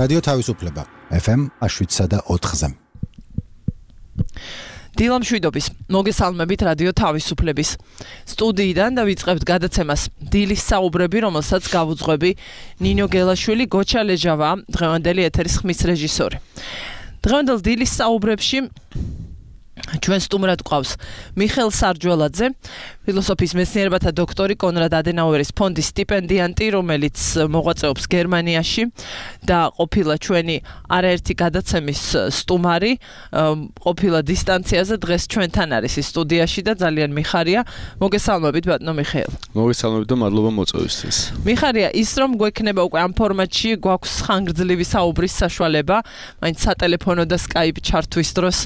რადიო თავისუფლება FM 107.4-ზე. დილამშვიდობის მოგესალმებით რადიო თავისუფლების სტუდიიდან და ვიწყებთ გადაცემას დილის საუბრები, რომელსაც გავუძღვები ნინო გელაშვილი, გოჩა ლეჟავა, დღევანდელი ეთერის ხმის რეჟისორი. დღევანდელ დილის საუბრებში ჩვენ სტუმრად გვყავს მიხეილ სარჯველაძე, ფილოსოფიის მეცნიერებათა დოქტორი, კონრად ადენაუერის ფონდის სტიპენდიანტი, რომელიც მოღვაწეობს გერმანიაში და ყოფილა ჩვენი არაერთი გადაცემის სტუმარი, ყოფილა დისტანციაზე, დღეს ჩვენთან არის ის სტუდიაში და ძალიან მიხარია. მოგესალმებით ბატონო მიხეილ. მოგესალმებით და მადლობა მოწვევისთვის. მიხარია ის, რომ გვექნება უკვე ამ ფორმატში, გვაქვს ხანგრძლივი საუბრის საშუალება, მაინც სატელეფონო და Skype ჩართვის დროს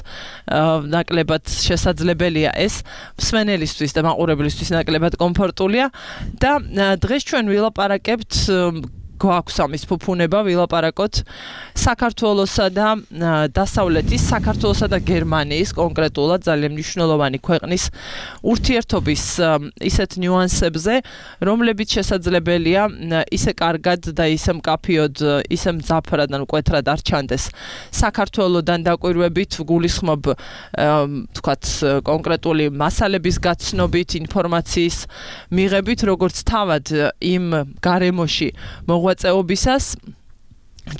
ნაკლებად შესაძლებელია ეს, მსმენელისთვის და მაყურებლისთვის ნაკლებად კომფორტულია და დღეს ჩვენ ვილაპარაკებთ, გვაქვს ამის ფუფუნება, ვილაპარაკოთ საქართველოსა და დასავლეთის, საქართველოსა და გერმანიის, კონკრეტულად ძალიან მნიშვნელოვანი ქვეყნის ურთიერთობის ისეთ ნიუანსებზე, რომლებიც შესაძლებელია ისე კარგად და ისე მკაფიოდ, ისე მძაფრად ან მკვეთრად არ ჩანდეს საქართველოდან დაკვირვებით, გულისხმობ თქვათ კონკრეტული მასალების გაცნობით, ინფორმაციის მიღებით, როგორც თავად იმ გარემოში მოღვაწეობისას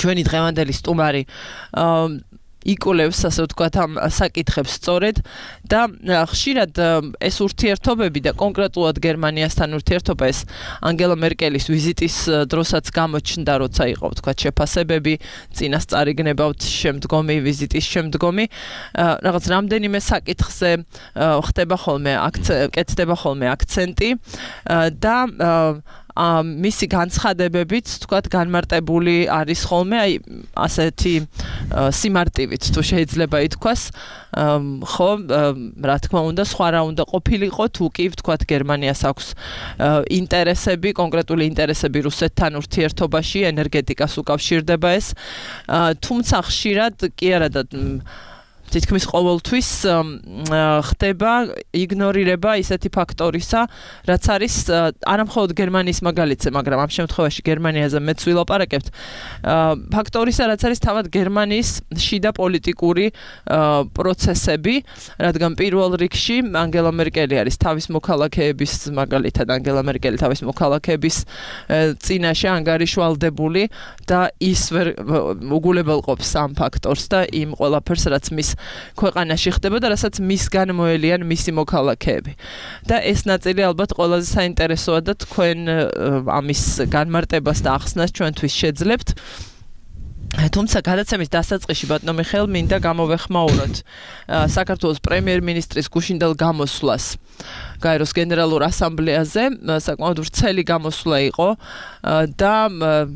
ჩვენი დღევანდელი სტუმარი იკულევს, ასე ვთქვათ, ამ საკითხებს სწორედ და ხშირად ეს ურთიერთობები და კონკრეტულად გერმანიასთან ურთიერთობა ეს ანგელა მერკელის ვიზიტის დროსაც გამოჩნდა, როცა იყო ვთქვათ შეფასებები, წინასწარი გნებავთ შემდგომი ვიზიტის შემდგომი, რაღაც რამდენიმე საკითხზე ხდება ხოლმე კეთდება ხოლმე აქცენტი და მისი განცხადებებით, თქვათ, განმარტებული არის ხოლმე, აი, ასეთი სიმარტივით, თუ შეიძლება ითქვას, ხო, რა თქმა უნდა, სხვა რა უნდა ყოფილიყო, თუ კი, თქვათ, გერმანიას აქვს ინტერესები, კონკრეტული ინტერესები რუსეთთან ურთიერთობაში, ენერგეტიკას უკავშირდება ეს, თუმცა ხშირად კი არა და თითქმის ყოველთვის ხდება იგნორირება ისეთი ფაქტორისა, რაც არის არა მხოლოდ გერმანიის მაგალითზე, მაგრამ ამ შემთხვევაში გერმანიაზე მეც ვილაპარაკებთ, ფაქტორისა, რაც არის თავად გერმანიის შიდა პოლიტიკური პროცესები, რადგან პირველ რიგში ანგელა მერკელი არის თავის მოქალაქეების, მაგალითად ანგელა მერკელი თავის მოქალაქეების წინაშე ანგარიშვალდებული და ის ვერ უგულებელყოფს ამ ფაქტორს და იმ ყველაფერს, რაც მის ქვეყანაში ხდება და რასაც მისგან მოელიან მისი მოქალაქეები. და ეს ნაწილი ალბათ ყველაზე საინტერესოა და თქვენ ამის განმარტებას და ახსნას ჩვენთვის შეძლებთ. თუმცა გადაცემის დასაწყისში ბატონო მიხეილ მინდა გამოვეხმაუროთ საქართველოს პრემიერ-მინისტრის გუშინდელ გამოსვლას გაეროს გენერალურ ასამბლეაზე, საკმაოდ ვრცელი გამოსვლა იყო და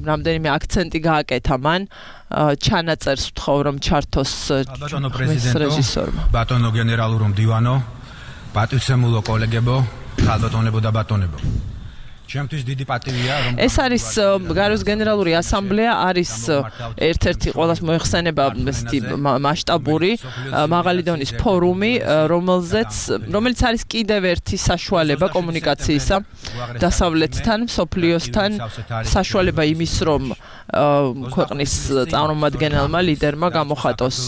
რამდენიმე აქცენტი გააკეთა მან, ჩანაწერს ვთხოვ რომ ჩართოს რეჟისორმა. ბატონო გენერალურო მდივანო, პატივცემულო კოლეგებო, ხალბატონებო და ბატონებო. ჩემთვის დიდი პატივია რომ ეს არის გაეროს გენერალური ასამბლეა, არის ერთ-ერთი ყველას მოიხსენება მასშტაბური მაღალი დონის ფორუმი, რომელიც არის კიდევ ერთი საშუალება კომუნიკაციისა დასავლეთთან, მსოფლიოსთან, საშუალება იმის, რომ ქვეყნის წარმომადგენელმა ლიდერმა გამოხატოს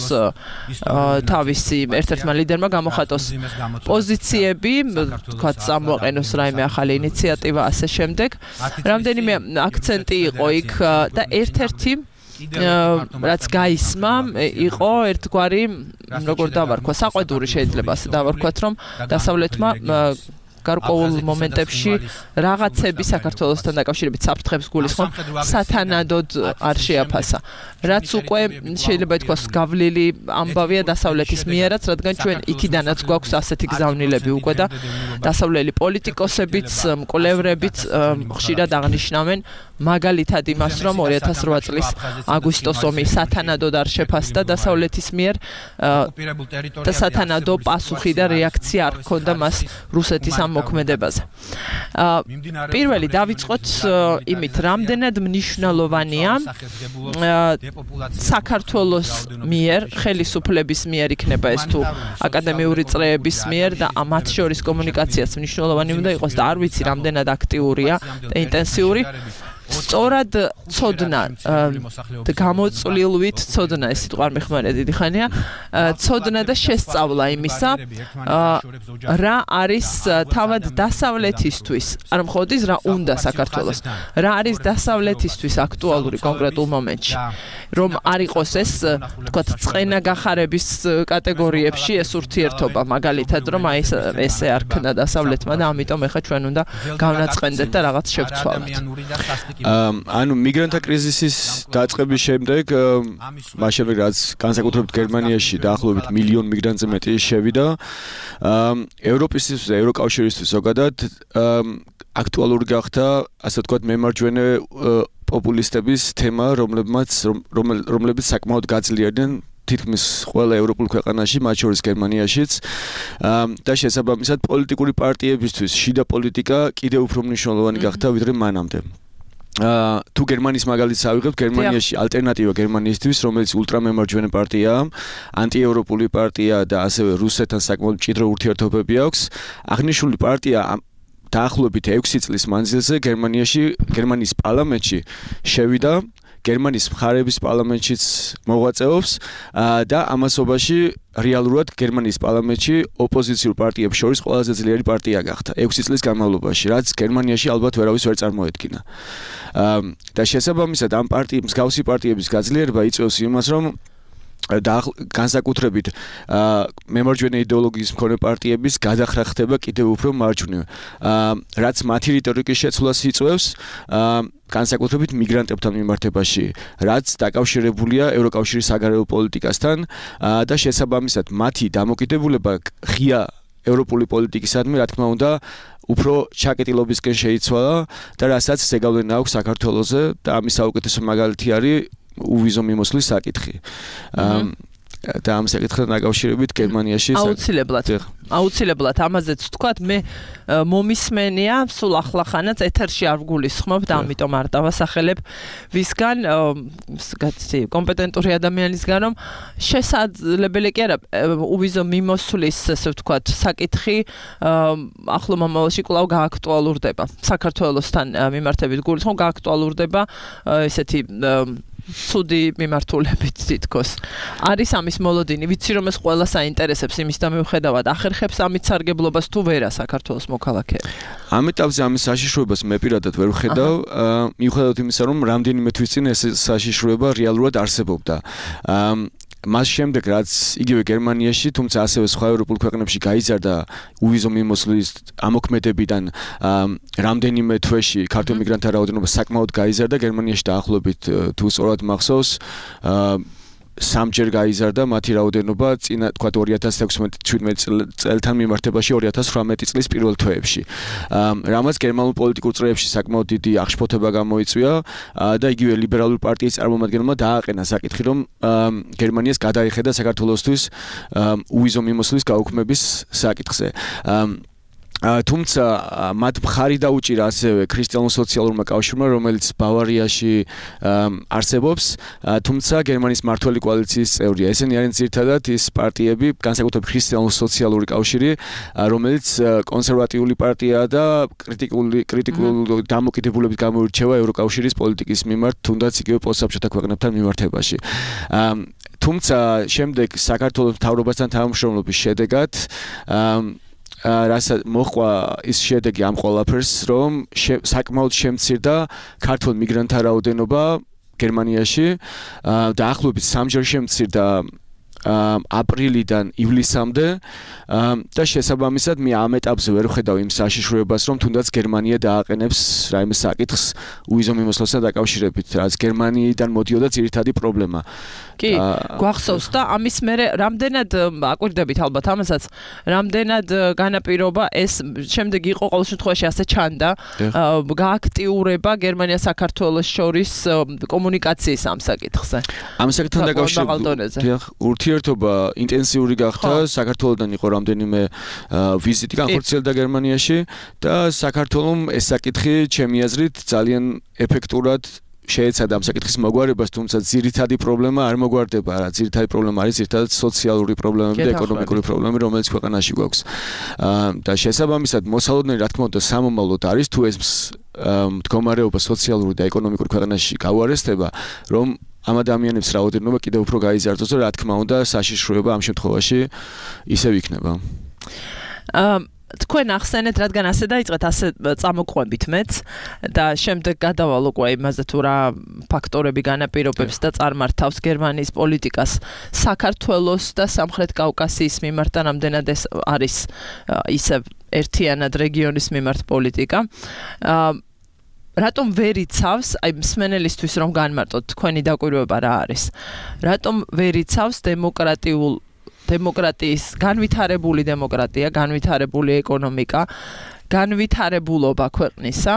თავისი ერთ-ერთმა ლიდერმა გამოხატოს პოზიციები, თქვათ, წამოაყენოს რაიმე ახალი ინიციატივა, ასე შემდეგ. რამდენიმე აქცენტი იყო იქ და ერთ-ერთი რაც გაისმა იყო ერთგვარი, როგორ დავარქვა, საყვედური შეიძლება ასე დავარქვათ, რომ დასავლეთმა გარკვეულ მომენტებში რაღაცები საქართველოსთან დაკავშირებით საფრთხებს გულისხმობ სათანადოდ არ შეაფასა. რაც უკვე შეიძლება ითქვას გავლილი ამბავია დასავლეთის მიერაც, რადგან ჩვენ იქიდანაც გვაქვს ასეთი გზავნილები უკვე და დასავლელი პოლიტიკოსებიც, მკვლევრებიც ხშირად აღნიშნავენ მაგალითად იმას, რომ 2008 წლის აგვისტოს ომი სათანადოდ არ შეფასდა დასავლეთის მიერ და სათანადო პასუხი და რეაქცია არ ჰქონდა მას რუსეთის ამ მოქმედებაზე. პირველი დავიწყოთ იმით, რამდენად მნიშვნელოვანია საქართველოს მიერ, ხელისუფლების მიერ იქნება ეს თუ აკადემიური წრეების მიერ და მათ შორის კომუნიკაციაც მნიშვნელოვანი უნდა იყოს და არ ვიცი რამდენად აქტიურია და ინტენსიური. სწორად ცოდნა გამოწვლილვით ცოდნა ეს სიტყვა არ მეხმარია დიდი ხანია ცოდნა და შესწავლა იმისა რა არის თავად დასავლეთისთვის არ მხოლოდ ის რა უნდა საქართველოს რა არის დასავლეთისთვის აქტუალური კონკრეტულ მომენტში რომ არ იყოს ეს თქვათ წყენა გახარების კატეგორიებში ეს ურთიერთობა მაგალითად რომ აი ესე არ ქნა დასავლეთმა და ამიტომ ეხა ჩვენ უნდა გავნაწყენდეთ და რაღაც შევცვალოთ ანუ მიგრანტთა კრიზისის დაწყების შემდეგ მასშტაბით რაც განსაკუთრებით გერმანიაში დაახლოებით მილიონ მიგრანტზე მეტი შევიდა ევროპისთვის და ევროკავშირისთვის ზოგადად აქტუალური გახდა ასე ვთქვათ მემარჯვენე პოპულისტების თემა რომლებიც საკმაოდ გაძლიერდნენ თითქმის ყველა ევროპულ ქვეყანაში, მათ შორის გერმანიაშიც და შესაბამისად პოლიტიკური პარტიებისთვის შიდა პოლიტიკა კიდევ უფრო მნიშვნელოვანი გახდა ვიდრე მანამდე. თუ გერმანიის მაგალითს ავიღებთ, გერმანიაში ალტერნატივა გერმანიისთვის, რომელიც ულტრამემარჯვენე პარტიაა, ანტიევროპული პარტია და ასევე რუსეთთან საკმაოდ მჭიდრო ურთიერთობები აქვს. აღნიშნული პარტია დაახლოებით 6 წლის მანძილზე გერმანიის პარლამენტში შევიდა გერმანიის მხარეების პარლამენტშიც მოღვაწეობს და ამასობაში რეალურად გერმანიის პარლამენტში ოპოზიციურ პარტიებს შორის ყველაზე ძლიერი პარტია გახდა 6 წლის განმავლობაში, რაც გერმანიაში ალბათ ვერავის ვერ წარმოედგინა. და შესაბამისად ამ მსგავსი პარტიების გაძლიერება იწვევს იმას, რომ განსაკუთრებით მემარჯვენე იდეოლოგიის მქონე პარტიების გადახრა ხდება კიდევ უფრო მარჯვნივ, რაც მათი რიტორიკის შეცვლას იწვევს განსაკუთრებით მიგრანტებთან მიმართებაში, რაც დაკავშირებულია ევროკავშირის საგარეო პოლიტიკასთან და შესაბამისად მათი დამოკიდებულება ღია ევროპული პოლიტიკისადმი, რა თქმა უნდა, უფრო ჩაკეტილობისკენ შეიცვალა და რასაც ზეგავლენა აქვს საქართველოზე და ამის საუკეთესო მაგალითი არის უვიზო მიმოსვლის საკითხი. და ამ საკითხთან დაკავშირებით გერმანიაში აუცილებლად ამაზეც ვთქვათ მე მომისმენია სულ ახლახანაც ეთერში არ ვგულისხმობ და ამიტომ არ დავასახელებ ვისგან კომპეტენტური ადამიანისგან რომ შესაძლებელი კი არა უვიზო მიმოსვლის ესე ვთქვათ საკითხი ახლო მომავალში კვლავ გააქტუალურდება საქართველოსთან მიმართებით გულისხმობ გააქტუალურდება ესეთი ცუდი მიმართულებით თითქოს. არის ამის მოლოდინი, ვიცი რომ ეს ყველას აინტერესებს იმის და მიუხედავად ახერხებს ამით სარგებლობას თუ ვერა საქართველოს მოქალაქეები. ამ ეტაპზე ამის საშიშროებას მე პირადად ვერ ვხედავ, მიუხედავად იმისა რომ რამდენიმე თვის წინ ეს საშიშროება რეალურად არსებობდა. მას შემდეგ რაც იგივე გერმანიაში, თუმცა ასევე სხვა ევროპულ ქვეყნებში გაიზარდა უვიზო მიმოსვლის ამოქმედებიდან რამდენიმე თვეში ქართულ მიგრანტთა რაოდენობა საკმაოდ გაიზარდა გერმანიაში დაახლოებით თუ სწორად მახსოვს სამჯერ გაიზარდა მათი რაოდენობა წინა თქვა 2016-17 წელთან მიმართებაში 2018 წლის პირველ თვეებში. რამაც გერმანულ პოლიტიკურ წრეებში საკმაოდ დიდი აღშფოთება გამოიწვია და იგივე ლიბერალური პარტიის წარმომადგენელმა დააყენა საკითხი, რომ გერმანიას გადაიხედა საქართველოსთვის უვიზო მიმოსვლის გაუქმების საკითხზე. თუმცა მათ მხარი დაუჭირა ასევე ქრისტიანულ-სოციალურმა კავშირმა, რომელიც ბავარიაში არსებობს, თუმცა გერმანიის მმართველი კოალიციის წევრია. ესენი არიან ძირითადად ის პარტიები, განსაკუთრებით ქრისტიანულ-სოციალური კავშირი, რომელიც კონსერვატიული პარტიაა და კრიტიკული დამოკიდებულებით გამოირჩევა ევროკავშირის პოლიტიკის მიმართ, თუნდაც იგივე პოსტსაბჭოთა ქვეყნებთან მიმართებაში. თუმცა შემდეგ საქართველოს მთავრობასთან თანამშრომლობის შედეგად რასაც მოყვა ის შედეგი ამ ყველაფერს, რომ საკმაოდ შემცირდა ქართულ მიგრანტთა რაოდენობა გერმანიაში და ახლობით სამჯერ შემცირდა აპრილიდან ივლისამდე და შესაბამისად მე ამ ეტაპზე ვერ ვხედავ იმ საშიშროებას, რომ თუნდაც გერმანია დააყენებს რაიმე საკითხს უვიზო მიმოსვლასთან დაკავშირებით, რაც გერმანიიდან მოდიოდა ძირითადი პრობლემა. კი, გვახსოვს და ამის მერე რამდენად აკვირდებით ალბათ ამასაც, რამდენად განაპირობა ეს შემდეგ იყო ყოველ შემთხვევაში ასე ჩანდა გააქტიურება გერმანია საქართველოს შორის კომუნიკაციის ამ საკითხზე. ამ საკითხთან დაკავშირებით ურთიერთობა ინტენსიური გახდა, საქართველოსთან იყო რამდენიმე ვიზიტი განხორციელდა გერმანიაში და საქართველოს ეს საკითხი ჩემი აზრით ძალიან ეფექტურად შეეცადა ამ საკითხის მოგვარებას, თუმცა ძირითადი პრობლემა არ მოგვარდება, რა, ძირითადი პრობლემა არის ძირითადად სოციალური პრობლემები და ეკონომიკური პრობლემები, რომელიც ქვეყანაში გვაქვს. და შესაბამისად, მოსალოდნელი რა თქმა უნდა სამომავლოდ არის, თუ ეს მდგომარეობა სოციალური და ეკონომიკური ქვეყანაში გავარესდება, რომ ამ ადამიანებს რაოდენობა კიდევ უფრო გაიზარდოს და რა თქმა უნდა საშიშროება ამ შემთხვევაში ისევ იქნება. თქვენ ახსენეთ, რადგან ასე დაიწყეთ, ასე წამოყვებით მეც და შემდეგ გადავალ უკვე იმაზე თუ რა ფაქტორები განაპირობებს და წარმართავს გერმანიის პოლიტიკას საქართველოს და სამხრეთ კავკასიის მიმართ და რამდენად ეს არის ისევ ერთიანად რეგიონის მიმართ პოლიტიკა. რატომ ვერ იცავს, აი მსმენელისთვის რომ განმარტოთ თქვენი დაკვირვება რა არის? რატომ ვერ იცავს დემოკრატიის განვითარებული დემოკრატია, განვითარებული ეკონომიკა, განვითარებულობა ქვეყნისა,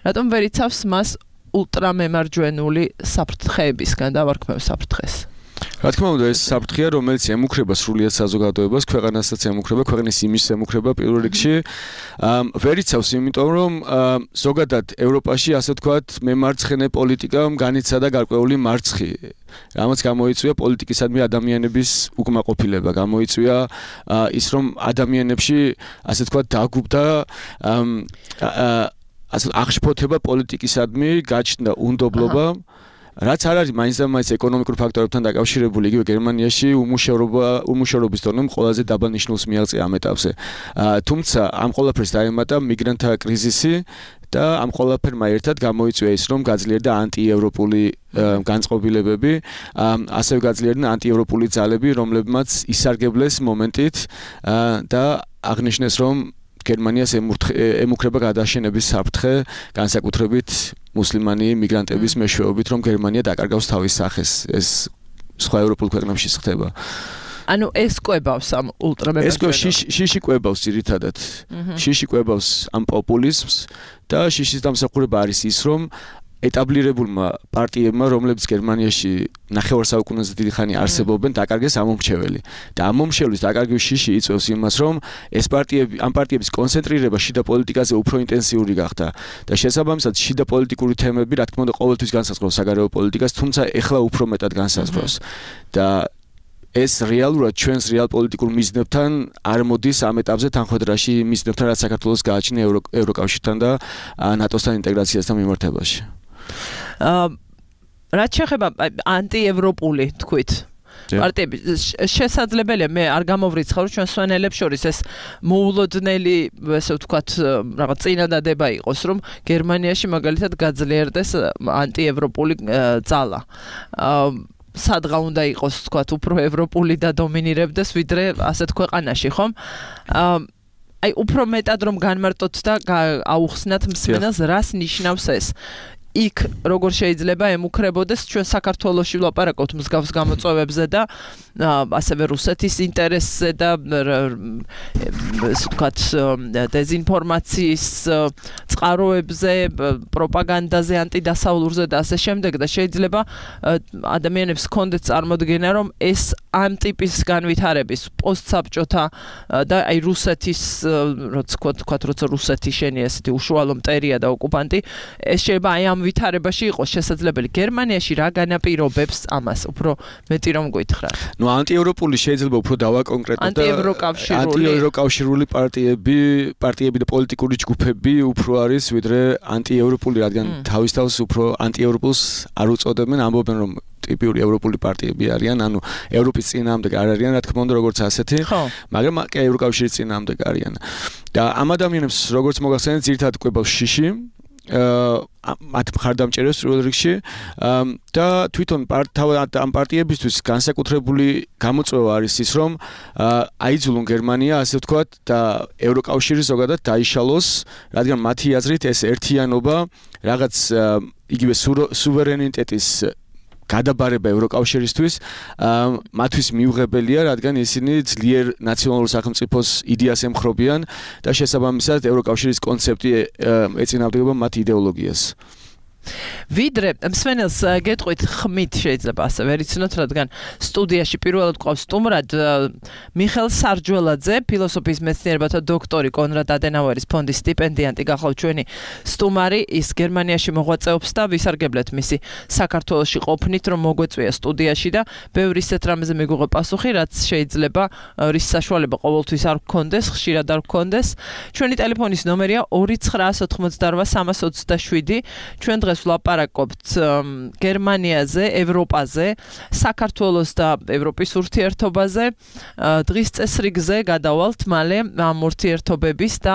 რატომ ვერ იცავს მას ულტრამემარჯვენული საფრთხეებისგან დავარქმევ საფრთხეს? რა თქმა უნდა, ეს საფრთხეა, რომელიც ემუქრება სრულიად საზოგადოებას, ქვეყანასაც ემუქრება, ქვეყნის იმიჯს ემუქრება პირველ რიგში. ვერ იცავს, იმიტომ რომ ზოგადად ევროპაში, ასე ვთქვათ, მემარცხენე პოლიტიკამ განიცადა გარკვეული მარცხი. რამაც გამოიწვია პოლიტიკისადმი ადამიანების უკმაყოფილება, გამოიწვია ის, რომ ადამიანებში, ასე ვთქვათ, დაგუბდა აღშფოთება პოლიტიკისადმი, გაჩნდა უნდობლობა. რაც არ არის მაინც და მაინც ეკონომიკურ ფაქტორებთან დაკავშირებული, იგივე გერმანიაში უმუშევრობის დონე ყველაზე დაბალ ნიშნულს მიაღწია ამ ეტაპზე. თუმცა ამ ყველაფერს დაემატა მიგრანტთა კრიზისი და ამ ყველაფერმა ერთად გამოიწვია ის, რომ გაძლიერდა ანტიევროპული განწყობილებები, ასევე გაძლიერდა ანტიევროპული ძალები, რომლებმაც ისარგებლეს მომენტით და აღნიშნეს, რომ გერმანიას ემუქრება გადაშენების საფრთხე, განსაკუთრებით მუსლიმანი მიგრანტების მეშვეობით, რომ გერმანია დაკარგავს თავის სახეს. ეს სხვა ევროპულ ქვეყნებში ხდება. ანუ ეს კვებავს ამ ულტრამემარჯვენელობას. ეს შიში კვებავს ძირითადად. შიში კვებავს ამ პოპულიზმს და შიშის დამსახურება არის ის, რომ ეტაბლირებულმა პარტიებმა, რომლებიც გერმანიაში ნახევარ საუკუნეზე დიდი ხანი არსებობენ, დაკარგეს ამომრჩეველი. და ამომრჩევლის დაკარგვის შიში იწვევს იმას, რომ ამ პარტიების კონცენტრირება შიდა პოლიტიკაზე უფრო ინტენსიური გახდა და შესაბამისად შიდა პოლიტიკური თემები, რა თქმა უნდა, ყოველთვის განსაზღვრავს საგარეო პოლიტიკას, თუმცა ეხლა უფრო მეტად განსაზღვრავს. და ეს რეალურად ჩვენს რეალ პოლიტიკურ მიზნებთან არ მოდის ამ ეტაპზე თანხმდრაში მიზნებთან, რაც საქართველოს გააჩნია ევროკავშირთან და ნატოსთან ინტეგრაციასთან მიმართებაში. რაც შეეხება ანტიევროპული თქვით პარტიები, შესაძლებელია მე არ გამოვრიცხავ, ჩვენ სვენელებს შორის ეს მოულოდნელი, ესე ვთქვათ, რაღაც წინადადება იყოს, რომ გერმანიაში მაგალითად გაძლიერდეს ანტიევროპული ძალა. სადღა უნდა იყოს, ვთქვათ, უფრო ევროპული და დომინირებდეს ვიდრე ასეთ ქვეყანაში, ხომ? აი უფრო მეტად რომ განმარტოთ და აუხსნათ მსმენელს, რას ნიშნავს ეს? იქ როგორ შეიძლება ემუქრებოდეს ჩვენ საქართველოში ვლაპარაკობთ მსგავს გამოწვევებზე და ასევე რუსეთის ინტერესზე და ასე ვთქვათ დეზინფორმაციის წყაროებზე, პროპაგანდაზე, ანტიდასავლურზე და ასე შემდეგ და შეიძლება ადამიანებს ჰქონდეთ წარმოდგენა, რომ ეს ამ ტიპის განვითარების პოსტსაბჭოთა და აი რუსეთის როცა რუსეთი შენია ესეთი უშუალო მტერია და ოკუპანტი, ეს შეიძლება აი ამ ვითარებაში იყოს შესაძლებელი. გერმანიაში რა განაპირობებს ამას? უფრო მეტი რომ გითხრათ. ნუ ანტიევროპული შეიძლება უფრო დავაკონკრეტოთ და ანტიევროკავშირული პარტიები და პოლიტიკური ჯგუფები უფრო არის ვიდრე ანტიევროპული, რადგან თავის უფრო ანტიევროპულს არ უწოდებენ, ამბობენ რომ ტიპიური ევროპული პარტიები არიან, ანუ ევროპის წინააღმდეგ არ არიან, რა თქმა უნდა, როგორც ასეთი, მაგრამ ევროკავშირის წინააღმდეგ არიან. და ამ ადამიანებს როგორც მოგახსენეთ, ძირითადად კვებავს შიში, მათ მხარდამჭერებს პირველ რიგში და თვითონ ამ პარტიებისთვის განსაკუთრებული გამოწვევა არის ის, რომ აიძულონ გერმანია, ასე ვთქვათ, და ევროკავშირი ზოგადად დაიშალოს, რადგან მათი აზრით ეს ერთიანობა რაღაც იგივე სუვერენიტეტის გადაბარება ევროკავშირისთვის მათთვის მიუღებელია, რადგან ისინი ძლიერ ნაციონალურ სახელმწიფოს იდეას ემხრობიან და შესაბამისად ევროკავშირის კონცეფტი ეწინააღმდეგება მათ იდეოლოგიას. ვიდრე მსმენელს გეტყვით ხმით შეიძლება ასე ვერ იცნოთ, რადგან სტუდიაში პირველად ყავს სტუმრად მიხელ სარჯველაძე, ფილოსოფიის მეცნიერებათა დოქტორი, კონრად ადენაუერის ფონდის სტიპენდიანტი გახლავთ ჩვენი სტუმარი, ის გერმანიაში მოღვაწეობს და ვისარგებლეთ მისი საქართველოში ყოფნით, რომ მოგვეწვია სტუდიაში და ბევრი ისეთ რამეზე მიგუღო პასუხი, რაც შეიძლება რის საშუალება ყოველთვის არ გქონდეს, ხშირად არ გქონდეს. ჩვენი ტელეფონის ნომერია 2988327. ჩვენ დღეს ვლაპარაკობთ გერმანიაზე, ევროპაზე, საქართველოს და ევროპის ურთიერთობაზე. დღის წესრიგზე გადავალთ მალე ამ ურთიერთობების და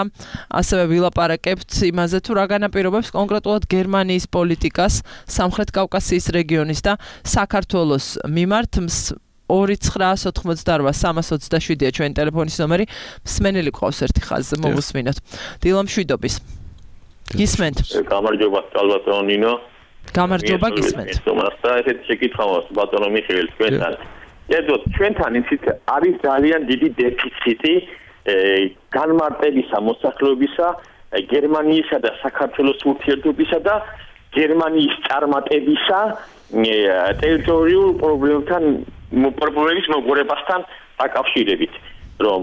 ასევე ვილაპარაკებთ იმაზე თუ რა განაპირობებს კონკრეტულად გერმანიის პოლიტიკას სამხრეთ კავკასიის რეგიონის და საქართველოს მიმართ. 2988327 ჩვენი ტელეფონის ნომერი. მსმენელი ყავს ერთი ხაზზე, მოვუსმინოთ. დილა მშვიდობის. გისმენთ. გამარჯობა, ბატონო ნინო. გამარჯობა, გისმენთ. და ესეთი შეკითხვა მაქვს ბატონო მიხეილ თქვენთან. ერთოდ ჩვენთან ისიც არის ძალიან დიდი დეფიციტი განმარტებისა მოსახლეობისა გერმანიისა და საქართველოს ურთიერთობისა და გერმანიის წარმატებისა ტერიტორიულ პრობლემების მოგორებასთან დაკავშირებით, რომ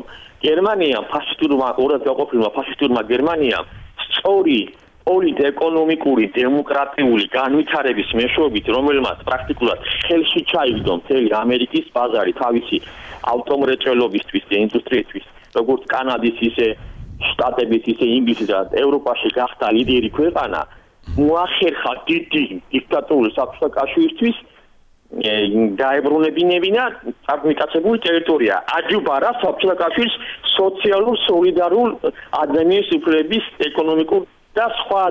გერმანია ფაშისტურმა ორად გაყოფილმა ფაშისტურმა გერმანიამ სწორი პოლიტ-ეკონომიკური დემოკრატიული განვითარების მეშვეობით, რომელმაც პრაქტიკულად ხელში ჩაიგდო მთელი ამერიკის ბაზარი თავისი ავტომრეწველობისთვის და ინდუსტრიისთვის, როგორც კანადის ისე შტატების ისე ინგლისის და ევროპაში გახდა ლიდერი ქვეყანა, მოახერხა დიდი დიქტატურული საბჭოთა კავშირისთვის დაებრუნებინებინა წარმიკაცებული ტერიტორია, აჯუბარა საბჭოთა კავშირის სოციალურ სოლიდარულ ადამიანის უფლების ეკონომიკურ და სხვა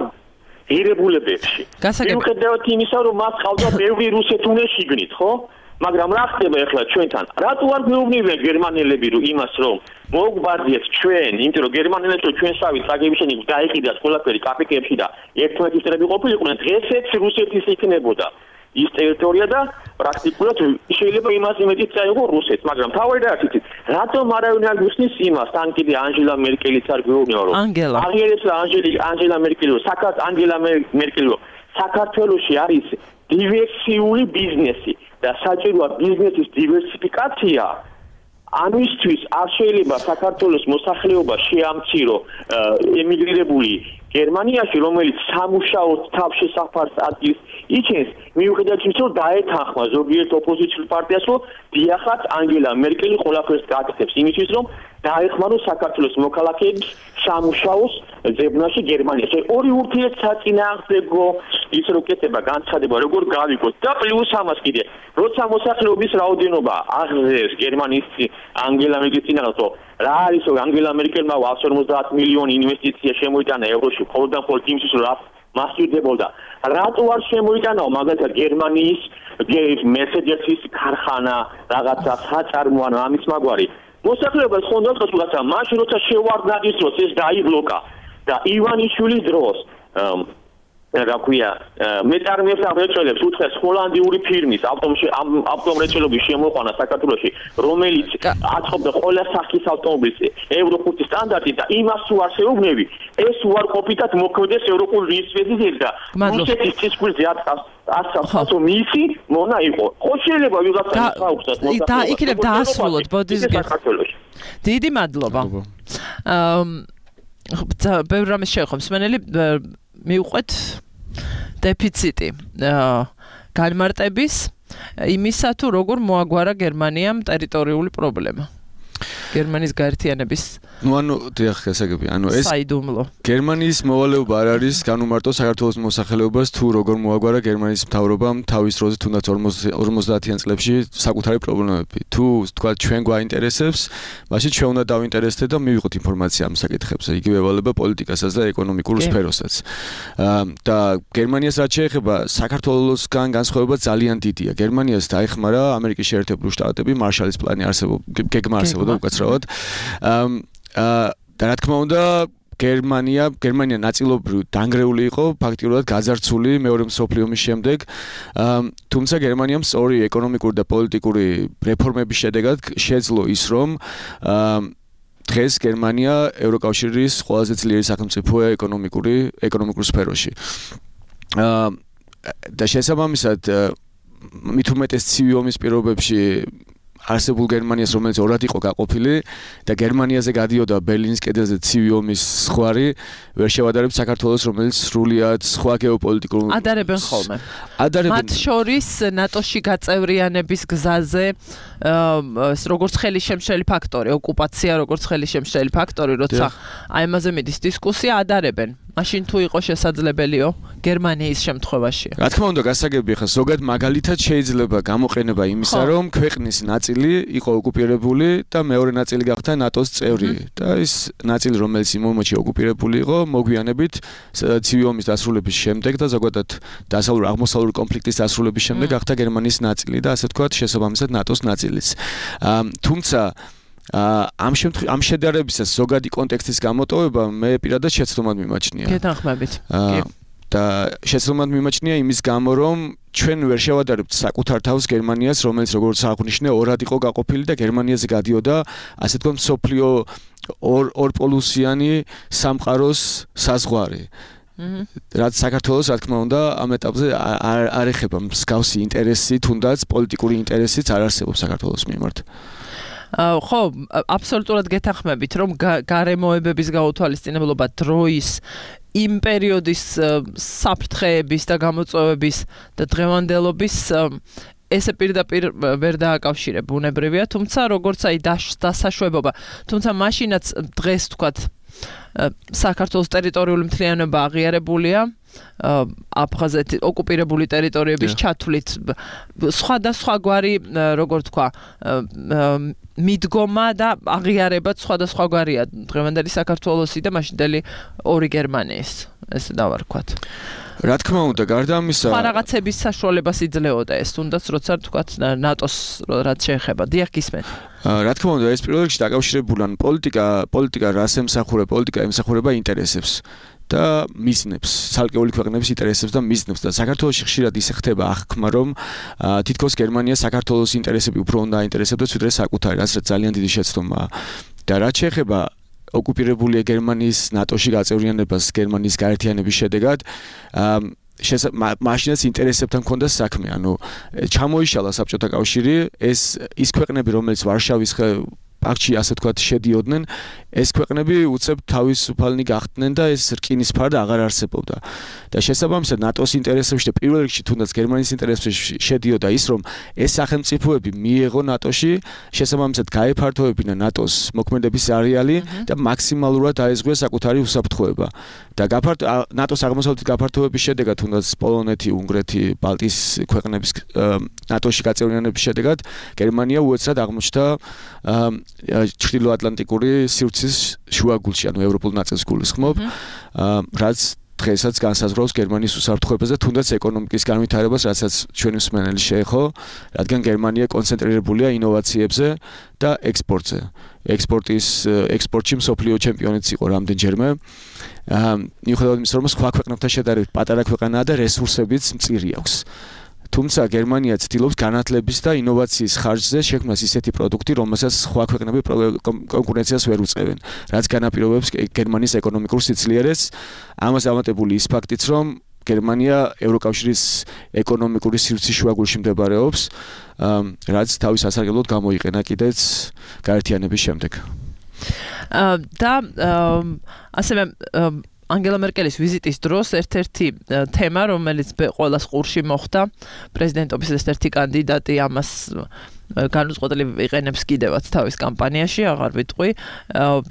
ღირებულებებში. მიუხედავად იმისა, რომ მას ყავდა ბევრი რუსეთუნეში გნით, ხო? მაგრამ რა ხდება ახლა ჩვენთან? რატო არ გვეუბნებიან გერმანელები იმას, რომ მოგვბარდიეთ ჩვენ, იმიტომ რომ გერმანელებს ჩვენსავით საგებიშენი დაიყიდათ ყველაფერი კაპიკებში და ერთმანეთის წრები ყოფილიყვნენ, დღესაც რუსეთის იქნებოდა ის ტერიტორია და პრაქტიკულად შეიძლება იმას იმედით წაიღო რუსეთს, მაგრამ თავი რა იცით, რატომ არავინ არ გვიხსნის იმას, თან კიდე ანჯელა მერკელიც არ გვეუბნება, რომ აღიერებს ანჯელა მერკელი, ანგელა მერკელი, საქართველოში არის დივერსიული ბიზნესი და საჭიროა ბიზნესის დივერსიფიკაცია. ამისთვის არ შეიძლება საქართველოს მოსახლეობა შეამცირო ემიგრირებული გერმანიაში, რომელიც სამუშაოდ თავშესაფარს ადგილს იჩენს, მიუხედავად იმისა, რომ დაეთანხმა ზოგიერთ ოპოზიციურ პარტიას, რომ დიახაც ანგელა მერკელი ყველაფერს გააკეთებს, იმისთვის რომ დაეხმაროს საქართველოს მოქალაქეების სამუშაოს ძებნაში გერმანიაში. ორი ურთიერთსაწინააღმდეგო ის რო კეთება განცხადება, როგორ გავიგოთ და პლუს ამას კიდე, როცა მოსახლეობის რაოდენობა აღზევს გერმანიის ანგელა მერკელის წინააღმდეგ, რა არის რომ ანგელა მერკელმა 150 მილიონი ინვესტიცია შემოიტანა ევროში, მხოლოდ და მხოლოდ იმისთვის, რომ მასპირდებოდა. რატო არ შემოიტანაო მაგალითად გერმანიის მერსედესის ქარხანა, რაღაცა საწარმო ან ამის მაგვარი. მოსახლეობას ხონდა რაღაცა, მაშინ როცა შევარდნადის დროს ეს დაიბლოკა და ივანიშვილის დროს რა ქვია, მეტარმიებს ამრეწველებს უთხეს ჰოლანდიური ფირმის ავტომრეწველობის შემოყვანა საქართველოში, რომელიც აწყობდა ყველა სახის ავტომობილს ევრო 5 სტანდარტით და იმას თუ არ შეუგნები, ეს უარყოფითად მოქმედეს ევროპულ ვიზიტზე და რუსეთის წისქვილზე ასახო მისი მონა იყო. ხო შეიძლება ვიღაცა ხაუხსას მოსახლეობას. და იქნებ დაასრულოთ ბოდის საქართველოში. დიდი მადლობა. ბევრი რამის შეეხო მსმენელი მიუყვეთ დეფიციტი განმარტების იმისა თუ როგორ მოაგვარა გერმანიამ ტერიტორიული პრობლემა. გერმანიის გაერთიანების დიახ, გასაგები, ეს საიდუმლო. გერმანიის მოვალეობა არ არის განუმარტო საქართველოს მოსახლეობას თუ როგორ მოაგვარა გერმანიის მთავრობამ თავის დროზე თუნდაც 50-იან წლებში საკუთარი პრობლემები. თუ თქვა ჩვენ გვაინტერესებს, მაშინ ჩვენ უნდა დავინტერესდეთ და მივიღოთ ინფორმაცია ამ საკითხებზე, იგივე ევალება პოლიტიკასაც და ეკონომიკურ სფეროსაც. და გერმანიას რაც შეეხება, საქართველოსგან განსხვავება ძალიან დიდია. გერმანიას დაეხმარა ამერიკის შეერთებული შტატები, მარშალის პლანი გეგმა არსებობდა უკაცრავად. და რა თქმა უნდა, გერმანია ნაწილობრივ დანგრეული იყო, ფაქტიურად გაძარცული მეორე მსოფლიო ომის შემდეგ. თუმცა გერმანიამ სწორი ეკონომიკური და პოლიტიკური რეფორმების შედეგად შეძლო ის, რომ დღეს გერმანია ევროკავშირის ყველაზე ძლიერი სახელმწიფოა ეკონომიკურ სფეროში. და შესაბამისად მით უმეტეს ცივი ომის პირობებში არსებულ გერმანიას, რომელიც ორად იყო გაყოფილი და გერმანიაზე გადიოდა ბერლინის კედელზე ცივი ომის ზღვარი, ვერ შევადარებთ საქართველოს, რომელიც სრულიად სხვა გეოპოლიტიკურ ადარებენ ხოლმე. მათ შორის ნატოში გაწევრიანების გზაზე როგორც ხელისშემშელი ფაქტორი, ოკუპაცია როგორც ხელისშემშელი ფაქტორი, როცა აი ამაზე მიდის დისკუსია, ადარებენ. მაშინ თუ იყო შესაძლებელიო გერმანიის შემთხვევაში. რა თქმა უნდა, გასაგებია ხა ზოგად მაგალითად შეიძლება გამოყენება იმისა, რომ ქვეყნის ნაწილი იყო ოკუპირებული და მეორე ნაწილი გახდა ნატოს წევრი და ის ნაწილი, რომელიც იმ მომენტში ოკუპირებული იყო, მოგვიანებით ცივი ომის დასრულების შემდეგ და ზოგადად დასავლურ-აღმოსავლური კონფლიქტის დასრულების შემდეგ გახდა გერმანიის ნაწილი და ასე ვთქვათ, შესაბამისად ნატოს ნაწილიც. თუმცა ამ შედარებისას ზოგადი კონტექსტის გამოტოვება მე პირადად შეცდომად მიმაჩნია. გეთანხმებით. და შეცდომად მიმაჩნია იმის გამო, რომ ჩვენ ვერ შევადარებთ საკუთარ თავს გერმანიას, რომელიც როგორც აღნიშნე, ორად იყო გაყოფილი და გერმანიაზე გადიოდა, ასე ვთქვათ, მსოფლიო ორპოლუსიანი სამყაროს საზღვარი. რაც საქართველოს, რა თქმა უნდა, ამ ეტაპზე არ ეხება მსგავსი ინტერესი, თუნდაც პოლიტიკური ინტერესიც არ არსებობს საქართველოს მიმართ. ხო, აბსოლუტურად გეთანხმებით, რომ გარემოებების გაუთვალისწინებლობა დროის იმ პერიოდის საფრთხეების და გამოწვევების და დღევანდელობის ესე პირდაპირ ვერ დააკავშირებ ბუნებრივია, თუმცა როგორც აი დასაშვებობა, თუმცა მაშინაც დღეს თქვათ საქართველოს ტერიტორიული მთლიანობა აღიარებულია აფხაზეთი ოკუპირებული ტერიტორიების ჩათვლით სხვადასხვაგვარი როგორ თქვა მიდგომა და აღიარებაც სხვადასხვაგვარია დღევანდელი საქართველოსი და მაშინდელი ორი გერმანიის ესე დავარქვათ. რა თქმა უნდა, გარდა ამისა, რაღაცების საშუალებას იძლეოდა ეს, თუნდაც როცა თქვათ ნატოს რაც შეეხება. დიახ, გისმენთ. რა თქმა უნდა, ეს პირველ რიგში დაკავშირებულია პოლიტიკა რას ემსახურება, პოლიტიკა ემსახურება ინტერესებს და მიზნებს, ცალკეული ქვეყნების ინტერესებს და მიზნებს და საქართველოში ხშირად ისე ხდება აღქმა, რომ თითქოს გერმანია საქართველოს ინტერესები უფრო უნდა აინტერესებდეს, ვიდრე საკუთარი, რაც ძალიან დიდი შეცდომაა. და რაც შეეხება ოკუპირებული გერმანიის ნატოში გაწევრიანებას გერმანიის გაერთიანების შედეგად მაშინაც ინტერესებთან მქონდა საქმე, ანუ ჩამოიშალა საბჭოთა კავშირი, ის ქვეყნები, რომელიც ვარშავის პაქტში ასე ვთქვათ შედიოდნენ, ეს ქვეყნები უცებ თავისუფალნი გახდნენ და ეს რკინის ფარდა აღარ არსებობდა. და შესაბამისად ნატოს ინტერესებში და პირველ რიგში თუნდაც გერმანიის ინტერესებში შედიოდა ის, რომ ეს სახელმწიფოები მიეღო ნატოში, შესაბამისად გაეფართოვებინა ნატოს მოქმედების არეალი და მაქსიმალურად აეზღუა საკუთარი უსაფრთხოება. და ნატოს აღმოსავლეთის გაფართოების შედეგად თუნდაც პოლონეთი, უნგრეთი, ბალტიის ქვეყნების ნატოში გაწევრიანების შედეგად გერმანია უეცრად აღმოჩნდა ჩრდილოატლანტიკური სივრცის შუაგულში, ანუ ევროპულ ნაწილს გულისხმობ, რაც დღესაც განსაზღვრავს გერმანიის უსაფრთხოებას და თუნდაც ეკონომიკის განვითარებას, რასაც ჩვენი მსმენელი შეეხო, რადგან გერმანია კონცენტრირებულია ინოვაციებზე და ექსპორტზე. ექსპორტში მსოფლიო ჩემპიონიც იყო რამდენჯერმე. მიუხედავად იმისა, რომ სხვა ქვეყნებთან შედარებით პატარა ქვეყანაა და რესურსებიც მწირი აქვს. თუმცა გერმანია ცდილობს განათლების და ინოვაციის ხარჯზე შექმნას ისეთი პროდუქტი, რომელსაც სხვა ქვეყნები კონკურენციას ვერ უწევენ, რაც განაპირობებს გერმანიის ეკონომიკურ სიძლიერეს. ამას ამატებული ის ფაქტიც, რომ გერმანია ევროკავშირის ეკონომიკური სივრცის შუაგულში მდებარეობს, რაც თავის ასარგებლოდ გამოიყენა კიდეც გაერთიანების შემდეგ. და ასევე ანგელა მერკელის ვიზიტის დროს ერთ-ერთი თემა, რომელიც ყველას ყურში მოხვდა, პრეზიდენტობის ერთ-ერთი კანდიდატი ამას განუწყვეტლივ იყენებს კიდევაც თავის კამპანიაში, აღარ ვიტყვი,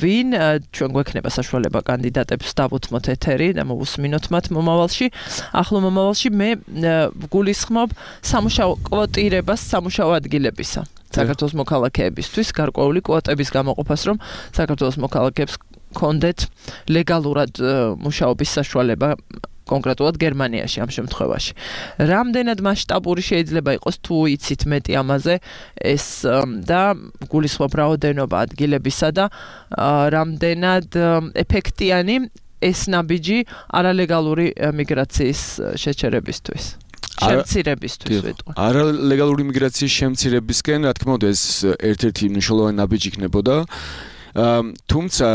ვინ ჩვენ გვექნება საშუალება კანდიდატებს დავუთმოთ ეთერი და მოვუსმინოთ მათ მომავალში. ახლო მომავალში მე გულისხმობ სამუშაო კვოტირებას სამუშაო ადგილებისა საქართველოს მოქალაქეებისთვის, გარკვეული კვოტების გამოყოფას, რომ საქართველოს მოქალაქეებს კონდეთ ლეგალურად მუშაობის საშუალება კონკრეტულად გერმანიაში ამ შემთხვევაში. რამდენად მასშტაბური შეიძლება იყოს თუ იცით მეტი ამაზე ეს და გულისხმობ რაოდენობა ადგილებისა და რამდენად ეფექტიანი ეს ნაბიჯი არალეგალური მიგრაციის შეჩერებისთვის. შემცირებისთვის ვიტყვი. არალეგალური მიგრაციის შემცირებისკენ, რა თქმა უნდა, ეს ერთ-ერთი მნიშვნელოვანი ნაბიჯი იქნებოდა. თუმცა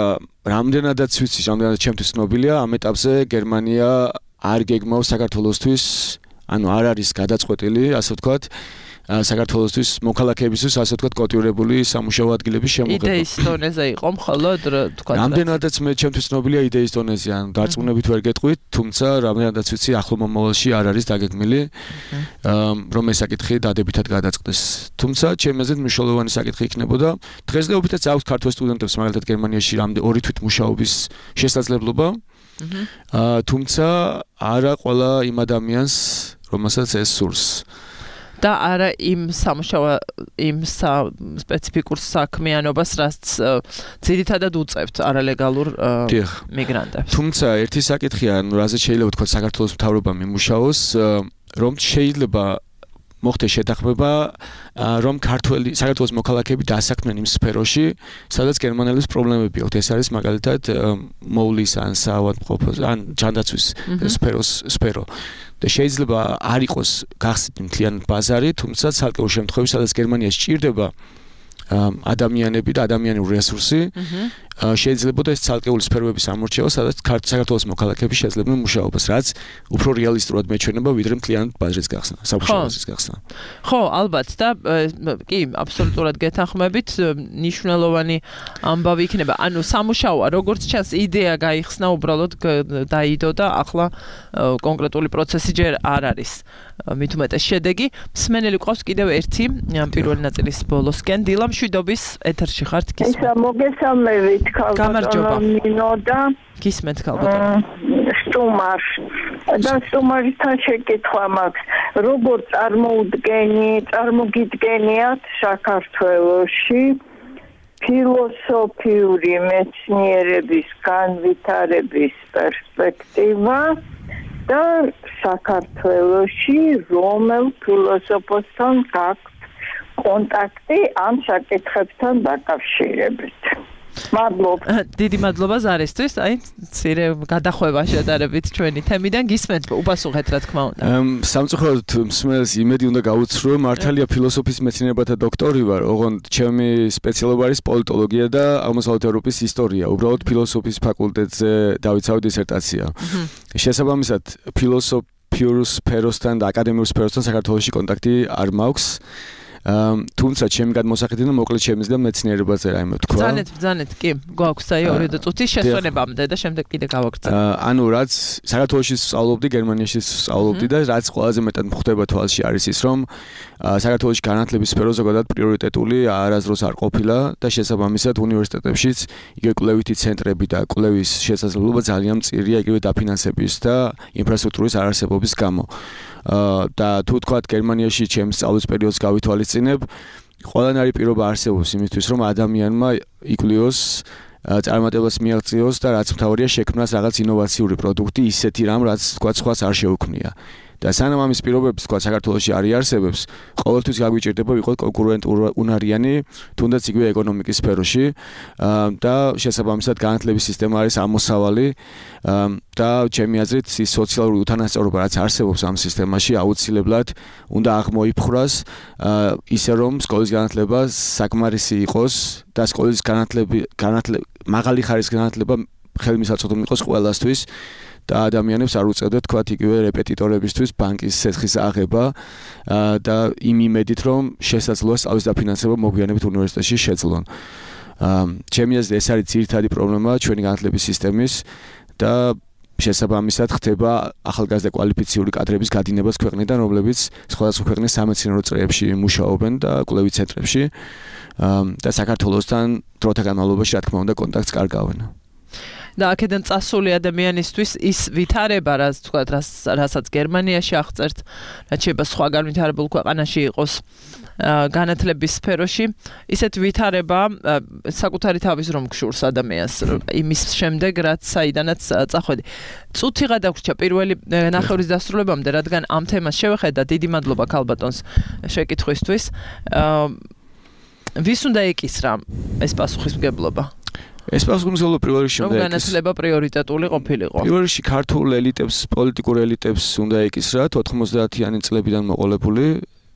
რამდენადაც ვიცი, რამდენადაც ჩემთვის ცნობილია, ამ ეტაპზე გერმანია არ გეგმავს საქართველოსთვის ანუ არ არის გადაწყვეტილი, ასე ვთქვათ, საქართველოსთვის მოქალაქეებისთვის ასე ვთქვათ კოტირებული სამუშაო ადგილების შემოღება. იდეის დონეზე იყო მხოლოდ თქვა. რამდენადაც მე ჩემთვის ცნობილია იდეის დონეზე, ან დარწმუნებით ვერ გეტყვით, თუმცა რამდენადაც ვიცი ახლო მომავალში არ არის დაგეგმილი, რომ ეს საკითხი დადებითად გადაწყდეს. თუმცა ჩემი აზრით მნიშვნელოვანი საკითხი იქნებოდა. დღესდღეობითაც აქვს ქართველ სტუდენტებს მაგალითად გერმანიაში ორი თვით მუშაობის შესაძლებლობა. თუმცა არა ყველა იმ ადამიანს, რომელსაც ეს სურს. და არა იმ სპეციფიკურ საქმიანობას, რაც ძირითადად უწევთ არალეგალურ მიგრანტებს. თუმცა ერთი საკითხია, რაზეც შეიძლება თქვა საქართველოს მთავრობამ იმუშაოს, რომ შეიძლება მოხდეს შეთანხმება, რომ საქართველოს მოქალაქეები დასაქმდნენ იმ სფეროში, სადაც გერმანელებს პრობლემები აქვთ. ეს არის მაგალითად მოვლის ან საავადმყოფოს ან ჯანდაცვის სფერო. და შეიძლება არ იყოს გახსნილი მთლიანი ბაზარი, თუმცა ცალკეულ შემთხვევებში, სადაც გერმანიაში სჭირდება ადამიანები და ადამიანური რესურსი, შეიძლება და ეს ცალკეული სფეროების ამორჩევა, სადაც საქართველოს მოქალაქეები შეძლებენ მუშაობას, რაც უფრო რეალისტურად მეჩვენება, ვიდრე მთლიანი ბაზრის გახსნა, სამუშაო ბაზრის გახსნა. ხო, ალბათ და კი, აბსოლუტურად გეთანხმებით, ნიშნულოვანი ამბავი იქნება. ანუ სამუშაოა, როგორც ჩანს, იდეა გაიხსნა, უბრალოდ დაიდო და ახლა კონკრეტული პროცესი ჯერ არ არის. მით უმეტეს შედეგი. მსმენელი ყავს კიდევ ერთი პირველი ნაწილის ბოლოსკენ. დილა მშვიდობის ეთერში ხართ გისმენთ. ისა მოგესალმებით გამარჯობა. ნინო და გისმენთ ქალბატონო. სტუმარს და სტუმართან შეკითხვა მაქვს. როგორ წარმოგიდგენიათ საქართველოში ფილოსოფიური მეცნიერების განვითარების პერსპექტივა და საქართველოში რომელ ფილოსოფოსთან გაქვთ კონტაქტი ამ საკითხებთან დაკავშირებით. მადლობა. დიდი მადლობა ზარისთვის. აი, მცირე გადახვევა შედარებით ჩვენი თემიდან გისმენთ, უპასუხეთ რა თქმა უნდა. სამწუხაროდ მსმენელს იმედი უნდა გაუცრო, მართალია ფილოსოფიის მეცნიერებათა დოქტორი ვარ, ოღონდ ჩემი სპეციალობა არის პოლიტოლოგია და აღმოსავლეთ ევროპის ისტორია. უბრალოდ ფილოსოფიის ფაკულტეტზე დავიცავი დისერტაცია. შესაბამისად, ფილოსოფიურ სფეროსთან და აკადემიურ სფეროსთან საქართველოში კონტაქტი არ მაქვს. თუმცა ჩემი გადმოსახედიდან მოკლედ შემიძლია მეცნიერებაზე რაიმე თქვა. ბრძანეთ, კი, გვაქვს აი 2 წუთის შესვენებამდე და შემდეგ კიდე გავაგრძელებთ. ანუ რაც საქართველოში სწავლობდი, გერმანიაში სწავლობდი და რაც ყველაზე მეტად მხდება თვალში არის ის, რომ საქართველოში განათლების სფერო ზოგადად პრიორიტეტული არასდროს არ ყოფილა და შესაბამისად უნივერსიტეტებშიც იგივე კვლევითი ცენტრები და კვლევის შესაძლებლობა ძალიან მწირია იგივე დაფინანსების და ინფრასტრუქტურის არარსებობის გამო. და თუ თქვათ გერმანიაში ჩემს სწავლის პერიოდს გავითვალისწინებ, ყველანაირი პირობა არსებობს იმისთვის, რომ ადამიანმა იკვლიოს, წარმატებას მიაღწიოს და რაც მთავარია შექმნას რაღაც ინოვაციური პროდუქტი, ისეთი რამ, რაც თქვათ სხვას არ შეუქმნია. და სანამ ამის პირობებს თქვათ საქართველოში არ იარსებებს, ყოველთვის გაგვიჭირდება ვიყოთ კონკურენტუნარიანი, თუნდაც იგივე ეკონომიკის სფეროში და შესაბამისად განათლების სისტემა არის ამოსავალი და ჩემი აზრით ის სოციალური უთანასწორობა რაც არსებობს ამ სისტემაში აუცილებლად უნდა აღმოიფხვრას ისე რომ სკოლის განათლება საკმარისი იყოს და სკოლის მაღალი ხარისხის განათლება ხელმისაწვდომი იყოს ყველასთვის და ადამიანებს არ უწევდეთ თქვათ იგივე რეპეტიტორებისთვის ბანკის სესხის აღება და იმ იმედით რომ შესაძლოა სწავლის დაფინანსება მოგვიანებით უნივერსიტეტში შეძლონ. ჩემი აზრით ეს არის ძირითადი პრობლემა ჩვენი განათლების სისტემის და შესაბამისად ხდება ახალგაზრდა კვალიფიციური კადრების გადინებას ქვეყნიდან, რომლებიც სხვადასხვა ქვეყნის სამეცნიერო წრეებში მუშაობენ და კვლევით ცენტრებში და საქართველოსთან დროთა განმავლობაში რა თქმა უნდა კონტაქტს კარგავენ. და აქედან წასული ადამიანისთვის ის ვითარება, რასაც გერმანიაში აღწერთ, რაც შეიძლება სხვა განვითარებულ ქვეყანაში იყოს განათლების სფეროში, ისეთ ვითარება საკუთარი თავის რომ გშურს ადამიანს იმის შემდეგ, რაც საიდანაც წახვედი. წუთი გადაგვრჩა პირველი ნახევრის დასრულებამდე, რადგან ამ თემას შევხედა, დიდი მადლობა ქალბატონს შეკითხვისთვის. ვის უნდა ეკისრა ეს პასუხისმგებლობა? ეს პასუხისმგებლობა პირველ რიგში უნდა განათლება პრიორიტეტული ყოფილიყო. პირველ რიგში ქართულ ელიტებს, პოლიტიკურ ელიტებს უნდა ეკისრათ 90-იანი წლებიდან მოყოლებული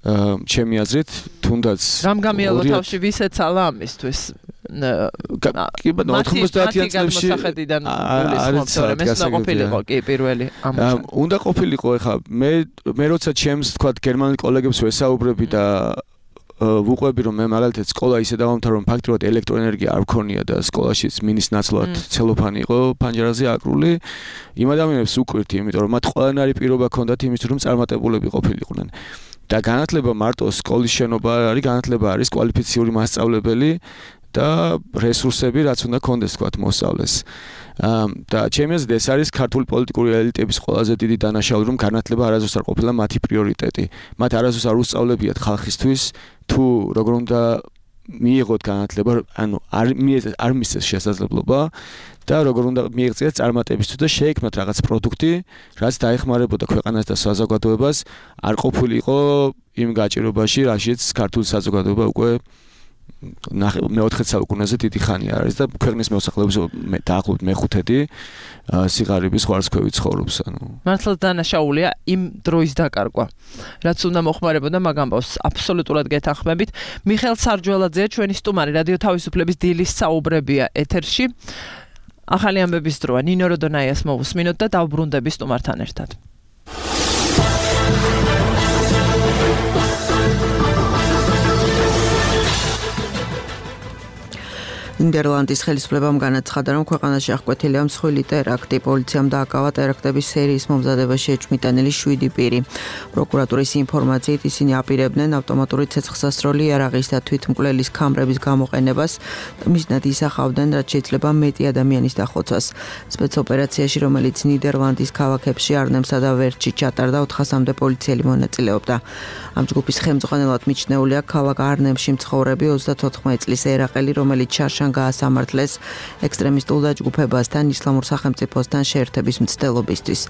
ჩემი აზრით, თუნდაც რამ გამიალო თავში ვისეცალა ამისთვის? კი ბატონო 90-იან წლებში უნდა ყოფილიყო ეხა მე როცა ჩემს თქვა გერმანელ კოლეგებს ვესაუბრები და ვუყვები რომ მე მაგალითად სკოლა ისე დავამთავრე რომ ფაქტობრივად ელექტროენერგია არ მქონია და სკოლაშიც მინის ნაცვლად ცელოფანი იყო პანჯერაზე აკრული იმ ადამიანებს უკვირთი იმიტომ რომ მათ ყველანაირი პირობა ჰქონდათ იმისთვის რომ წარმატებულები ყოფილიყვნენ და განათლება მარტო სკოლის შენობა არის განათლება არის კვალიფიციური მასწავლებელი და რესურსები რაც უნდა კონდეს თქვათ მოსწავლეს. და ჩემი აზრით ეს არის ქართული პოლიტიკური ელიტების ყველაზე დიდი დანაშაული რომ განათლება არასდროს არ ყოფილა მათი პრიორიტეტი. მათ არასდროს არ უსწავლებიათ ხალხისთვის თუ როგორ უნდა მიიღოთ განათლება, ანუ არ მისცეს შესაძლებლობა და როგორ უნდა მიიღწიათ წარმატებისთვის და შეექმნათ რაღაც პროდუქტი, რაც დაეხმარებოდა ქვეყანას და საზოგადოებას, არ ყოფილიყო იმ გაჭირობაში, რაშიც ქართული საზოგადოება უკვე მე-4 საუკუნეზე დიდი ხანი არის და ქვეყნის მოსახლეობის დაახლოებით მე-5 სიღარიბის ხარისხები ცხოვრობს ანუ მართლაც დანაშაულია იმ დროის დაკარგვა რაც უნდა მოხმარებოდა მაგ ამბავს აბსოლუტურად გეთანხმებით მიხეილ სარჯველაძეა ჩვენი სტუმარი რადიო თავისუფლების დილის საუბრებია ეთერში ახალი ამბების დროა ნინო როდონაიას მოვუსმინოთ და დავბრუნდები სტუმართან ერთად ნიდერლანდის ხელისუფლებამ განაცხადა, რომ ქვეყანაში აღკვეთილია მსხვილი ტერაქტი. პოლიციამ დააკავა ტერაქტების სერიის მომზადებაში ეჭვმიტანილი 7 პირი. პროკურატურის ინფორმაციით ისინი აპირებდნენ ავტომატური ცეცხლსასროლი იარაღის და თვითმკვლელის კამერების გამოყენებას და მიზნად ისახავდნენ, რაც შეიძლება მეტი ადამიანის დახოცვას. სპეცოპერაციაში, რომელიც ნიდერლანდის ქალაქებში არნემსა და ვერჩში ჩატარდა, 400-მდე პოლიციელი მონაწილეობდა. ამ ჯგუფის ხელმძღვანელად მიჩნეულია ქალაქ არნემში მცხოვრები 34 წლის ერაყელი, რომელიც შარშან გაასამართლეს ექსტრემისტულ დაჯგუფებასთან ისლამურ სახელმწიფოსთან შეერთების მცდელობისთვის.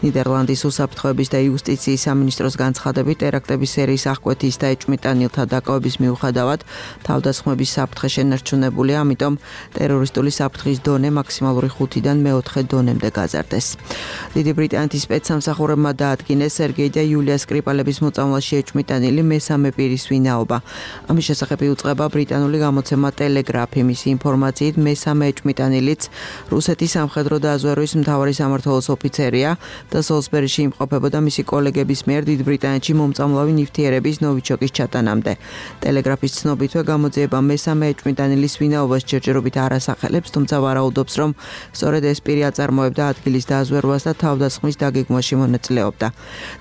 ნიდერლანდის უსაფრთხოების და იუსტიციის სამინისტროს განცხადებით ტერაქტების სერიის აღკვეთის და ეჭვმიტანილთა დაკავების მიუხედავად თავდასხმების საფრთხე შენარჩუნებულია, ამიტომ ტერორისტული საფრთხის დონე მაქსიმალური 5-დან მე-4 დონემდე გაზარდეს. დიდი ბრიტანეთის სპეცსამსახურებმა დაადგინეს სერგეი და იულია სკრიპალების მოწამვლაში ეჭვმიტანილი მესამე პირის ვინაობა. ამის შესახებ იუწყება ბრიტანული გამოცემა ტელეგრაფი. მისი ინფორმაციით მესამე ეჭვმიტანილიც რუსეთის სამხედრო დაზვერვის მთავარი სამმართველოს ოფიცერია და სოლსბერიში იმყოფებოდა მისი კოლეგების მიერ დიდ ბრიტანეთში მომწამლავი ნივთიერების ნოვიჩოკის ჩატანამდე. ტელეგრაფის ცნობითვე გამოძიება მესამე ეჭვმიტანილის ვინაობას ჯერჯერობით არ ასახელებს, თუმცა ვარაუდობს, რომ სწორედ ეს პირი აწარმოებდა ადგილის დაზვერვას და თავდასხმის დაგეგმვაში მონაწილეობდა.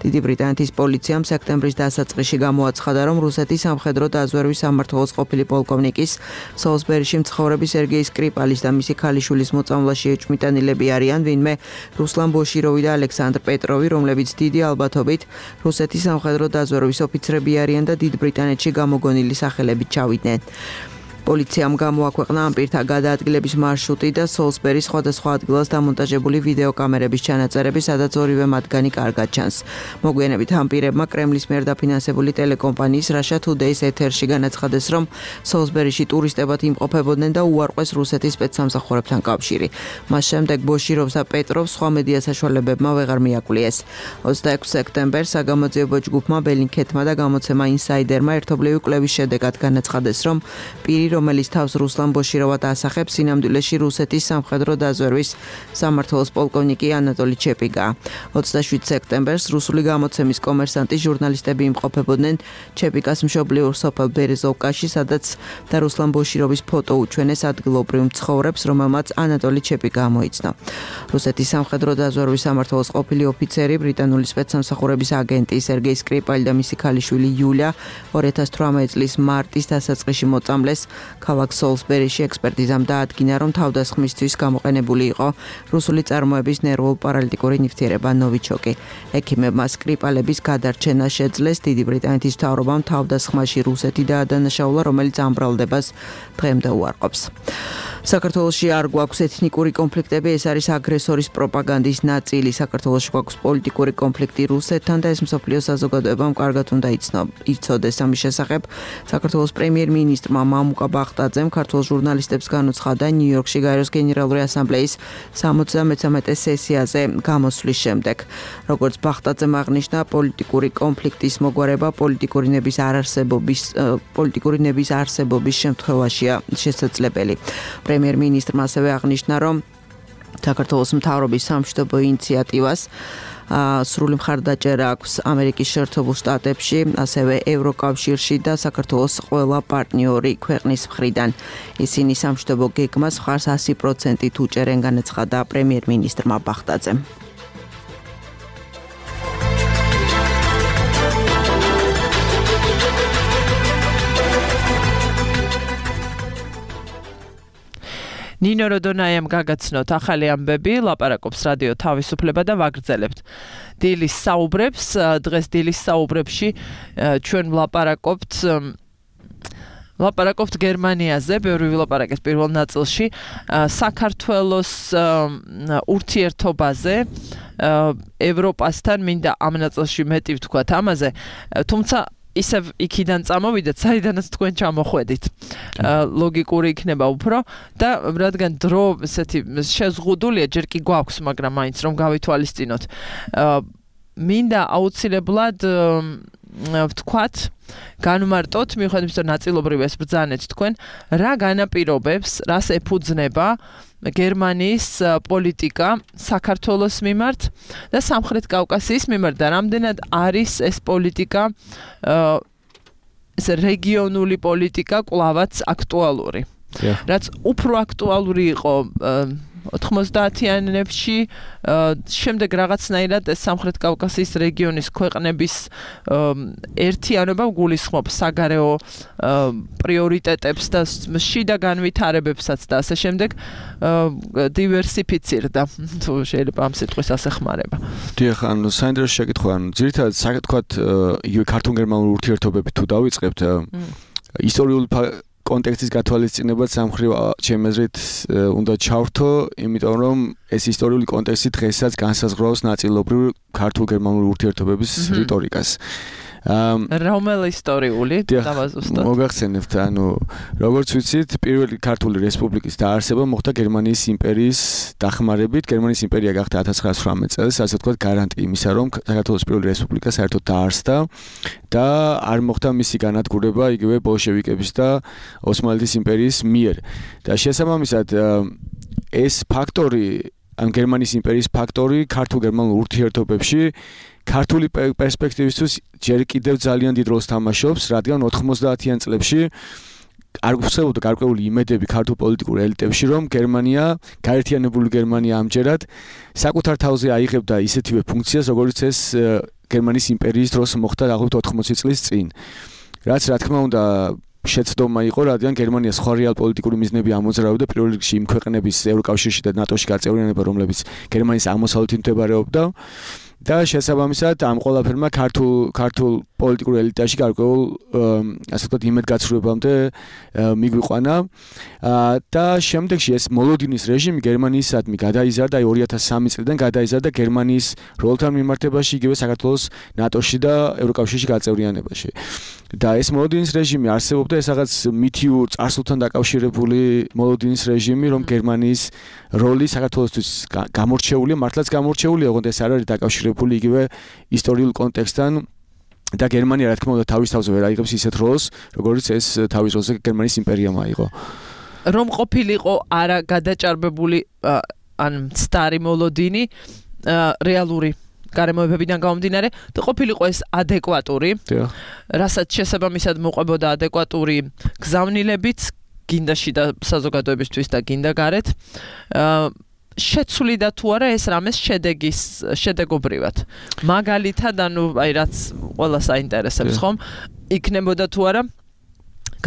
დიდი ბრიტანეთის პოლიციამ სექტემბრის დასაწყისში გამოაცხადა, რომ რუსეთის სამხედრო დაზვერვის სამმართველოს ყოფილი პოლკოვნიკის სოლსბერიში მცხოვრები სერგეი სკრიპალის და მისი ქალიშვილის მოწამვლაში ეჭვმიტანილები არიან ვინმე რუსლან ბოშიროვი და ალექსანდრ პეტროვი, რომლებიც დიდი ალბათობით რუსეთის სამხედრო დაზვერვის ოფიცრები არიან და დიდ ბრიტანეთში გამოგონილი სახელებით ჩავიდნენ. პოლიციამ გამოაქვეყნა ამ პირთა გადაადგილების მარშრუტი და სოლსბერის სხვადასხვა ადგილას დამონტაჟებული ვიდეოკამერების ჩანაწერები, სადაც ორივე მათგანი კარგად ჩანს. მოგვიანებით ამ პირებმა კრემლის მიერ დაფინანსებული ტელეკომპანიის Russia Today-ს ეთერში განაცხადეს, რომ სოლსბერიში ტურისტებად იმყოფებოდნენ და უარყვეს რუსეთის სპეცსამსახურებთან კავშირი. მას შემდეგ ბოშიროვს და პეტროვს სხვა მედია საშუალებებმა ვეღარ მიაკლიეს. 26 სექტემბერს საგამოძიებო ჯგუფმა ბელინგკეტმა და გამოცემა ინსაიდერმა ერთობლივი კვლევის შედეგად განაცხადეს, რომ პირი რომელიც თავს რუსლან ბოშიროვად ასახებს სინამდვილეში რუსეთის სამხედრო დაზვერვის სამმართველოს პოლკოვნიკი ანატოლი ჩეპიგა. 27 სექტემბერს რუსული გამოცემის კომერსანტი ჟურნალისტები იმყოფებოდნენ ჩეპიკას მშობლიურ სოფელ ბერეზოვკაში, სადაც და რუსლან ბოშიროვის ფოტო უჩვენეს ადგილობრივ მცხოვრებს, რომელმაც ანატოლი ჩეპიგა ამოიცნო. რუსეთის სამხედრო დაზვერვის სამმართველოს ყოფილი ოფიცერი, ბრიტანული სპეცსამსახურების აგენტი სერგეი სკრიპალი და მისი ქალიშვილი იულია 2018 წლის მარტის დასაწყისში მოწამლეს ქალაქ სოლსბერიში. ექსპერტიზამ დაადგინა, რომ თავდასხმისთვის გამოყენებული იყო რუსული წარმოების ნერვულ-პარალიტიკური ნივთიერება ნოვიჩოკი. ექიმებმა სკრიპალების გადარჩენა შეძლეს. დიდი ბრიტანეთის მთავრობამ თავდასხმაში რუსეთი დაადანაშაულა, რომელიც ამ ბრალდებას დღემდე უარყოფს. საქართველოში არ გვაქვს ეთნიკური კონფლიქტები, ეს არის აგრესორის პროპაგანდის ნაწილი. საქართველოში გვაქვს პოლიტიკური კონფლიქტი რუსეთთან და ეს მსოფლიოს საზოგადოებამ კარგად უნდა იცოდეს. ამის შესახებ საქართველოს პრემიერ-მინისტრმა მამუკა ბახტაძემ ქართულ ჟურნალისტებს განუცხადა ნიუ-იორკში გაეროს გენერალური ასამბლეის 73 სესიაზე გამოსვლის შემდეგ. როგორც ბახტაძემ აღნიშნა, პოლიტიკური კონფლიქტის მოგვარება პოლიტიკური ნების არსებობის შემთხვევაშია შესაძლებელი. პრემიერ-მინისტრმა ასევე აღნიშნა, რომ საქართველოს მთავრობის სამშვიდობო ინიციატივას სრული მხარდაჭერა აქვს ამერიკის შეერთებულ შტატებში, ასევე ევროკავშირში და საქართველოს ყველა პარტნიორი ქვეყნის მხრიდან. ისინი სამშვიდობო გეგმას მხარს 100%-ით უჭერენ, განაცხადა პრემიერ-მინისტრმა ბახტაძემ. ნინო როდონაიამ გაგაცნოთ ახალი ამბები, ლაპარაკობს რადიო თავისუფლება და ვაგრძელებთ დილის საუბრებს. დღეს დილის საუბრებში ჩვენ ლაპარაკობთ გერმანიაზე, ბევრი ვილაპარაკეთ პირველ ნაწილში, საქართველოს ურთიერთობაზე, ევროპასთან, მინდა ამ ნაწილში მეტი ვთქვათ ამაზე, თუმცა ისევ იქიდან წამოვიდეთ, საიდანაც თქვენ ჩამოხვედით. ლოგიკური იქნება უფრო და რადგან დრო ესეთი შეზღუდულია, ჯერ კი გვაქვს, მაგრამ მაინც რომ გავითვალისწინოთ. მინდა აუცილებლად ვთქვათ, განმარტოთ, მიუხედავად იმისა, რომ ნაწილობრივ ეს ბრძანეთ თქვენ, რა განაპირობებს, რას ეფუძნება გერმანიის პოლიტიკა საქართველოს მიმართ და სამხრეთ კავკასიის მიმართ და რამდენად არის ეს პოლიტიკა ეს რეგიონული პოლიტიკა კვლავაც აქტუალური. რაც უფრო აქტუალური იყო 90-იანებში, შემდეგ რაღაცნაირად ეს სამხრეთ კავკასიის რეგიონის ქვეყნების ერთიანობა გულისხმობს საგარეო პრიორიტეტებს და შიდა განვითარებებსაც და ასე შემდეგ დივერსიფიცირდა, თუ შეიძლება ამ სიტყვის ასე ხმარება. დიახ, ანუ საინტერესო შეკითხვა, ანუ ძირითადად საკითხად იგივე ქართულ-გერმანული ურთიერთობები თუ დავიწყებთ, ისტორიული კონტექსტის გათვალისწინებაც სამხრივ ჩემი აზრით უნდა ჩავრთო, იმიტომ რომ ეს ისტორიული კონტექსტი დღესაც განსაზღვრავს ნაწილობრივ ქართულ-გერმანული ურთიერთობების რიტორიკას. რომელი ისტორიული დავაზუსტოთ? მოგახსენებთ, ანუ როგორც ვიცით, პირველი ქართული რესპუბლიკის დაარსება მოხდა გერმანიის იმპერიის დახმარებით. გერმანიის იმპერია გახდა 1918 წელს, ასე ვთქვათ, გარანტი იმისა, რომ საქართველოს პირველი რესპუბლიკა საერთოდ დაარსდა და არ მოხდა მისი განადგურება იგივე ბოლშევიკების და ოსმალეთის იმპერიის მიერ. და შესაბამისად ეს ფაქტორი, ან გერმანიის იმპერიის ფაქტორი ქართულ-გერმანულ ურთიერთობებში ქართული პერსპექტივისთვის ჯერ კიდევ ძალიან დიდ როლს თამაშობს, რადგან 90-იან წლებში არ გვხსებოდა გარკვეული იმედები ქართულ პოლიტიკურ ელიტებში, რომ გერმანია, გაერთიანებული გერმანია ამჯერად საკუთარ თავზე აიღებდა ისეთივე ფუნქციას, როგორც ეს გერმანიის იმპერიის დროს მოხდა დაახლოებით 80 წლის წინ. რაც რა თქმა უნდა შეცდომა იყო, რადგან გერმანია სხვა რეალპოლიტიკური მიზნები ამოძრავებდა, პირველ რიგში იმ ქვეყნების ევროკავშირში და ნატოში გაწევრიანება, რომლებიც გერმანიის აღმოსავლეთით მდებარეობდა. და შესაბამისად ამ ყველაფერმა ქართულ პოლიტიკურ ელიტაში გარკვეულ ასე ვთქვათ იმედგაცრუებამდე მიგვიყვანა და შემდეგში ეს მოლოდინის რეჟიმი გერმანიისადმი გადაიზარდა 2003 წლიდან გადაიზარდა გერმანიის როლთან მიმართებაში, იგივე საქართველოს ნატოში და ევროკავშირში გაწევრიანებაში. და ეს მოლოდინის რეჟიმი არსებობდა, ეს რაღაც მითიურ წარსულთან დაკავშირებული მოლოდინის რეჟიმი, რომ გერმანიის როლი საქართველოსთვის გამორჩეულია, მართლაც გამორჩეულია, ოღონდ ეს არ არის დაკავშირებული იგივე ისტორიულ კონტექსტთან და გერმანია რა თქმა უნდა თავის თავზე ვერ აიღებს ისეთ როლს, როგორც ეს თავის როლზე გერმანიის იმპერიამ აიღო. რომ ყოფილიყო არა გადაჭარბებული ან სტარი მოლოდინი რეალური გარემოებებიდან გამომდინარე და ყოფილიყო ეს ადეკვატური, რასაც შესაბამისად მოყვებოდა ადეკვატური გზავნილებიც, გინდა შიდა საზოგადოებისთვის და გინდა გარეთ. შეცვლიდა თუ არა ეს რამეს შედეგობრივად. მაგალითად, ანუ აი რაც ყველას აინტერესებს ხომ, იქნებოდა თუ არა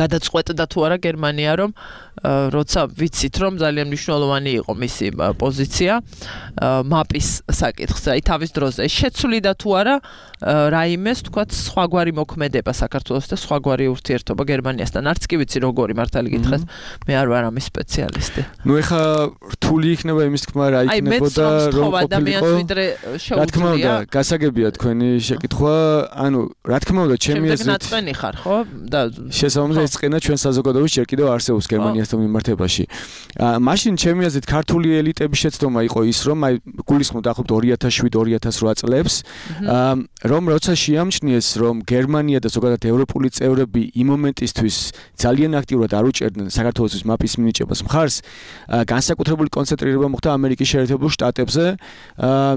გადაწყვეტდა თუ არა გერმანია რომ როცა ვიცით რომ ძალიან მნიშვნელოვანი იყო მისი პოზიცია მაპის საკითხზე აი თავის დროზე შეცვლიდა თუ არა რაიმეს თქვათ სხვაგვარი მოქმედება საქართველოს და სხვაგვარი ურთიერთობა გერმანიასთან არც კი ვიცი როგორი მართალი გითხრათ მე არ ვარ ამის სპეციალისტი ნუ ეხა რთული იქნება იმის თქმა რა იქნებოდა რომ ყოფილიყო რა თქმა უნდა გასაგებია თქვენი შეკითხვა ანუ რა თქმა უნდა ჩემი აზრით ნაწყენი ხარ ხო და შესაბამისად ეს წენა ჩვენ საზოგადოების ჯერ კიდევ არსებობს გერმანიასთან მიმართებაში მაშინ ჩემი აზრით ქართული ელიტების შეცდომა იყო ის რომ აი გულისხმობ დაახლოებით 2007-2008 წლებს რომ როცა შეამჩნიეს რომ გერმანია და ზოგადად ევროპული წევრები იმ მომენტისთვის ძალიან აქტიურად არ უჭერდნენ საქართველოს მაპის მინიჭებას მხარს განსაკუთრებული კონცენტრირება მოხდა ამერიკის შეერთებულ შტატებზე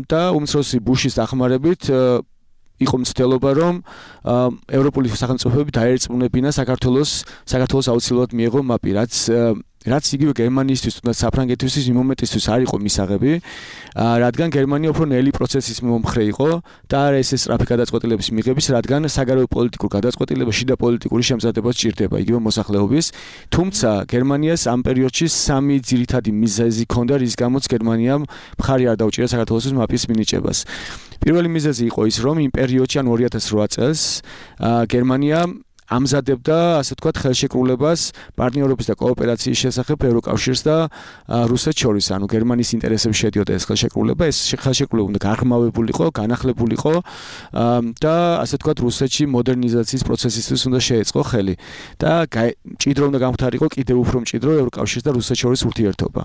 და უმცროსი ბუშის დახმარებით იყო მცდელობა რომ ევროპული სახელმწიფოები დაერწმუნებინა საქართველოს აუცილებლად მიეღო მაპი რაც იგივე გერმანიისთვის და საფრანგეთისთვის იმ მომენტისთვის არ იყო მისაღები რადგან გერმანია უფრო ნელი პროცესის მომხრე იყო და არა ეს სწრაფი გადაწყვეტილების მიღების რადგან საგარეო პოლიტიკურ გადაწყვეტილებაში და პოლიტიკური შემზადება სჭირდება იგივე მოსახლეობის თუმცა გერმანიას ამ პერიოდში სამი ძირითადი მიზეზი ჰქონდა რის გამოც გერმანიამ მხარი არ დაუჭირა საქართველოს მაპის მინიჭებას პირველი მიზეზი იყო ის რომ იმ პერიოდში ან 2008 წელს გერმანია ამზადებდა ასე ვთქვათ ხელშეკრულებას პარტნიორობის და კოოპერაციის შესახებ ევროკავშირს და რუსეთს შორის ანუ გერმანიის ინტერესებში შედიოდა ეს ხელშეკრულება ეს ხელშეკრულება უნდა განხმავებულიყო განახლებულიყო და ასე ვთქვათ რუსეთში მოდერნიზაციის პროცესისთვის უნდა შეეწყო ხელი და მჭიდრო უნდა გამختارიყო კიდევ უფრო მჭიდრო ევროკავშირს და რუსეთს შორის ურთიერთობა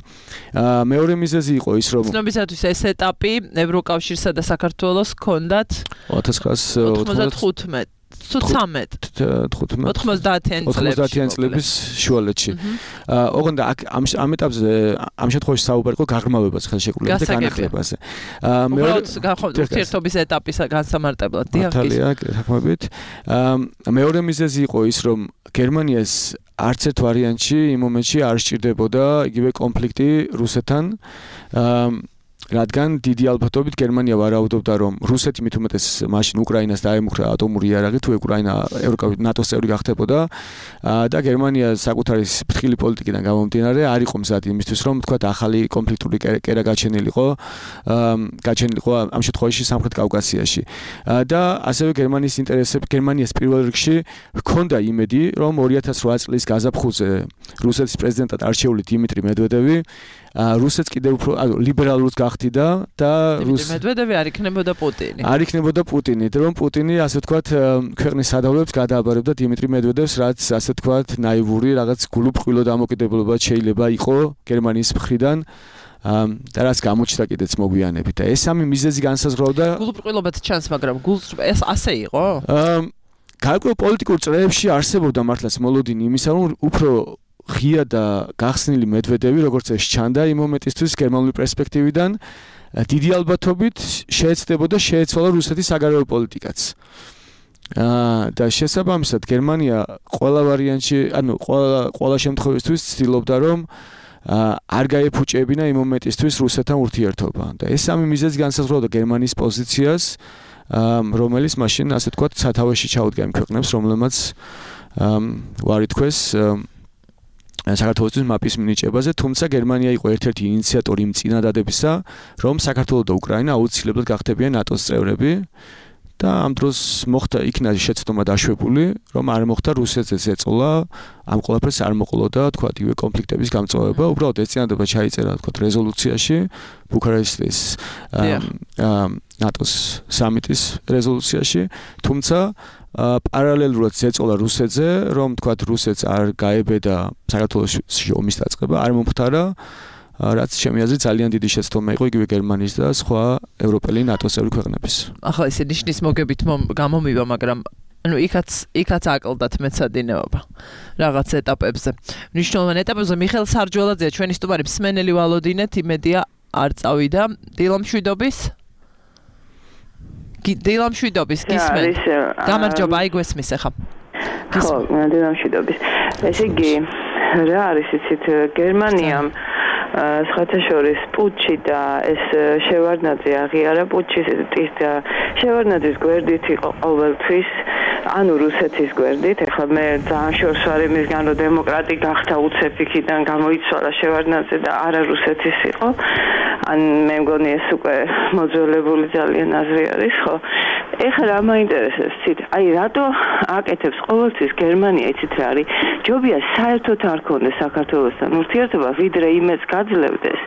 მეორე მიზეზი იყო ის რომ ცნობისათვის ეს ეტაპი ევროკავშირსა და საქართველოს ჰქონდათ 1995 90-იან წლების შუალედში. ოღონდ ამ ეტაპზე ამ შემთხვევაში საუბარი იყო გაღრმავებას ხელშეკრულებაზე და განახლებაზე. ურთიერთობის ეტაპის განსამარტებლად დიახ, თქმებით. მეორე მიზეზი იყო ის, რომ გერმანიას არც ერთ ვარიანტში იმ მომენტში არ სჭირდებოდა იგივე კონფლიქტი რუსეთთან. რადგან დიდი ალბათობით გერმანია ვარაუდობდა რომ რუსეთი მით უმეტეს მაშინ უკრაინას დაემუქრა ატომური იარაღი თუ უკრაინა ნატოს წევრი გახდებოდა და გერმანია საკუთარი ფრთხილი პოლიტიკიდან გამომდინარე არ იყო მზად იმისთვის რომ თქვათ ახალი კონფლიქტური კერა გაჩენილიყო ამ შემთხვევაში სამხრეთ კავკასიაში და ასევე გერმანიის ინტერესები გერმანიას პირველ რიგში ჰქონდა იმედი რომ 2008 წლის გაზაფხულზე რუსეთის პრეზიდენტად არჩეული დიმიტრი მედვედევი რუსეთს კიდევ უფრო ლიბერალურს გახდიდა და მედვედევი არ იქნებოდა პუტინი. არ იქნებოდა პუტინი, რომ პუტინი ასე ვთქვათ ქვეყნის სადავლებს გადააბარებდა დიმიტრი მედვედევს, რაც ასე ვთქვათ ნაივური რაღაც გულუბრყვილო დამოკიდებულება შეიძლება იყო გერმანიის მხრიდან. და რაც გამოჩნდა კიდეც მოგვიანებით და ეს სამი მიზეზი განსაზღვრავდა გულუბრყვილობაც ჩანს, მაგრამ ეს ასე იყო? გარკვეულ პოლიტიკურ წრეებში არსებობდა მართლაც მოლოდინი იმისა, რომ უფრო ღია და გახსნილი მედვედევი, როგორც ეს ჩანდა იმ მომენტისთვის გერმანული პერსპექტივიდან, დიდი ალბათობით შეეცდებოდა შეეცვალა რუსეთის საგარეო პოლიტიკაც. და შესაბამისად გერმანია ყველა ვარიანტში, ანუ ყველა შემთხვევისთვის ცდილობდა რომ არ გაეფუჭებინა იმ მომენტისთვის რუსეთთან ურთიერთობა. და ეს სამი მიზეზი განსაზღვრავდა გერმანიის პოზიციას, რომელიც მაშინ ასე ვთქვათ სათავეში ჩაუდგა იმ ქვეყნებს, რომლებმაც ვარითქვეს საქართველოს მაპის მინიჭებაზე, თუმცა გერმანია იყო ერთ-ერთი ინიციატორი იმ წინადადებისა, რომ საქართველო და უკრაინა აუცილებლად გახდებიან ნატოს წევრები და ამ დროს მოხდა იქნა შეცდომა დაშვებული, რომ არ მოხდა რუსეთზეც ეწოლა, ამ ყველაფერს არ მოყოლოდა, თქვათ, იგივე კონფლიქტების გამწვავება, უბრალოდ ეს წინადადება ჩაიწერა, თქვათ, რეზოლუციაში, ბუქარესტის ნატოს სამიტის რეზოლუციაში, თუმცა პარალელურად ეწოლა რუსეთზე, რომ თქვათ, რუსეთს არ გაებედა საქართველოში ომის დაწყება, არ მომხდარა რაც ჩემი აზრით ძალიან დიდი შეცდომა იყო იგივე გერმანიის და სხვა ევროპელი ნატოს წევრი ქვეყნების. ახლა ესე ნიშნის მოგებით გამომივა, მაგრამ ანუ იქაც აკლდათ მეცადინეობა რაღაც ეტაპებზე. მნიშვნელოვან ეტაპებზე მიხეილ სარჯველაძეა ჩვენი სტუმარი, მსმენელი ვალოდინეთ, იმედია არ წავიდა დილამშვიდობის გისმენთ. გამარჯობა, აიგვესმის ახლა. ხო, დილამშვიდობის. ესე იგი, რა არის იცით, გერმანიამ სხვათა შორის პუტჩი და ეს შევარდნაძე აღიარა პუტჩის და შევარდნაძის გვერდით იყო ყოველთვის ანუ რუსეთის გვერდით, ეხლა მე ძალიან შორს ვარ იმისგან, რომ დემოკრატი გახდა უცებ იქიდან გამოიცვალა შევარდნაძე და არა რუსეთის იყო. ან მე მგონი ეს უკვე მოძველებული ძალიან აზრი არის, ხო? ეხლა რა მაინტერესებს ცით? აი რატო აკეთებს ყოველთვის გერმანია, იცით რა არის? ჯობია საერთოდ არ ქონდეს საქართველოსთან ურთიერთობა, ვიდრე იმედს გაძლევდეს.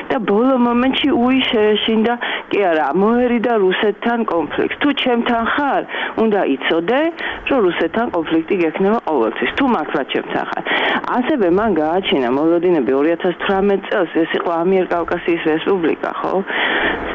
და ბოლო მომენტში შეეშინდა კი არა მოერიდა რუსეთთან კონფლიქტს. თუ ჩემთან ხარ, უნდა იცოდე, რომ რუსეთთან კონფლიქტი გექნება ყოველთვის. თუ მართლა ჩემთან ხარ. ასევე მან გააჩინა მოლოდინები 2018 წელს, ეს იყო ამიერკავკასიის რესპუბლიკა, ხო?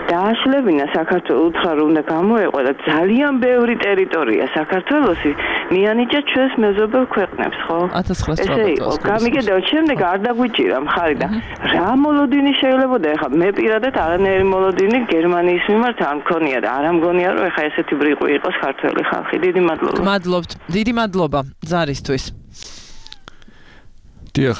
დააშლებინა საქართველოს უცხო უნდა გამოეყო და ძალიან ბევრი ტერიტორია საქართველოსი მიანიჭა ჩვენს მეზობელ ქვეყნებს, ხო? 1918 წელს. გამიგედაო, შემდეგ არ დაგვიჭირა მხარი და რა მოლოდინი შეიძლება და ეხლა მე პირადად არანაირი მოლოდინი გერმანიის მიმართ არ მქონია და არ ამგონია რომ ეხლა ესეთი ბრიყვი იყოს ქართველი ხალხი. დიდი მადლობა. მადლობთ. დიდი მადლობა ზარისთვის. დიახ,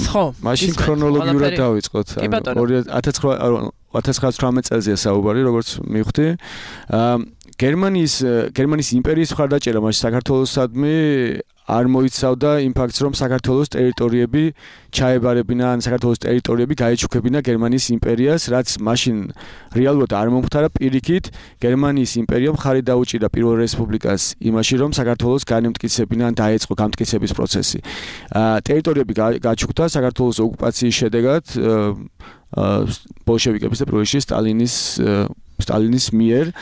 ხო. მაშინ ქრონოლოგიურად დავიწყოთ. 1918 წელზეა საუბარი, როგორც მივხვდი. გერმანიის იმპერიის მხარდაჭერა მაშინ საქართველოსადმი არ მოიცავდა იმ ფაქტს, რომ საქართველოს ტერიტორიები ჩაებარებინა, ან საქართველოს ტერიტორიები გაეჩუქებინა გერმანიის იმპერიას, რაც მაშინ რეალურად არ მომხდარა. პირიქით, გერმანიის იმპერიამ მხარი დაუჭირა პირველ რესპუბლიკას იმაში, რომ საქართველოს განემტკიცებინა, ან დაეწყო გამტკიცების პროცესი. ტერიტორიები გაჩუქდა საქართველოს ოკუპაციის შედეგად ბოლშევიკების და პირველ რიგში სტალინის მიერ.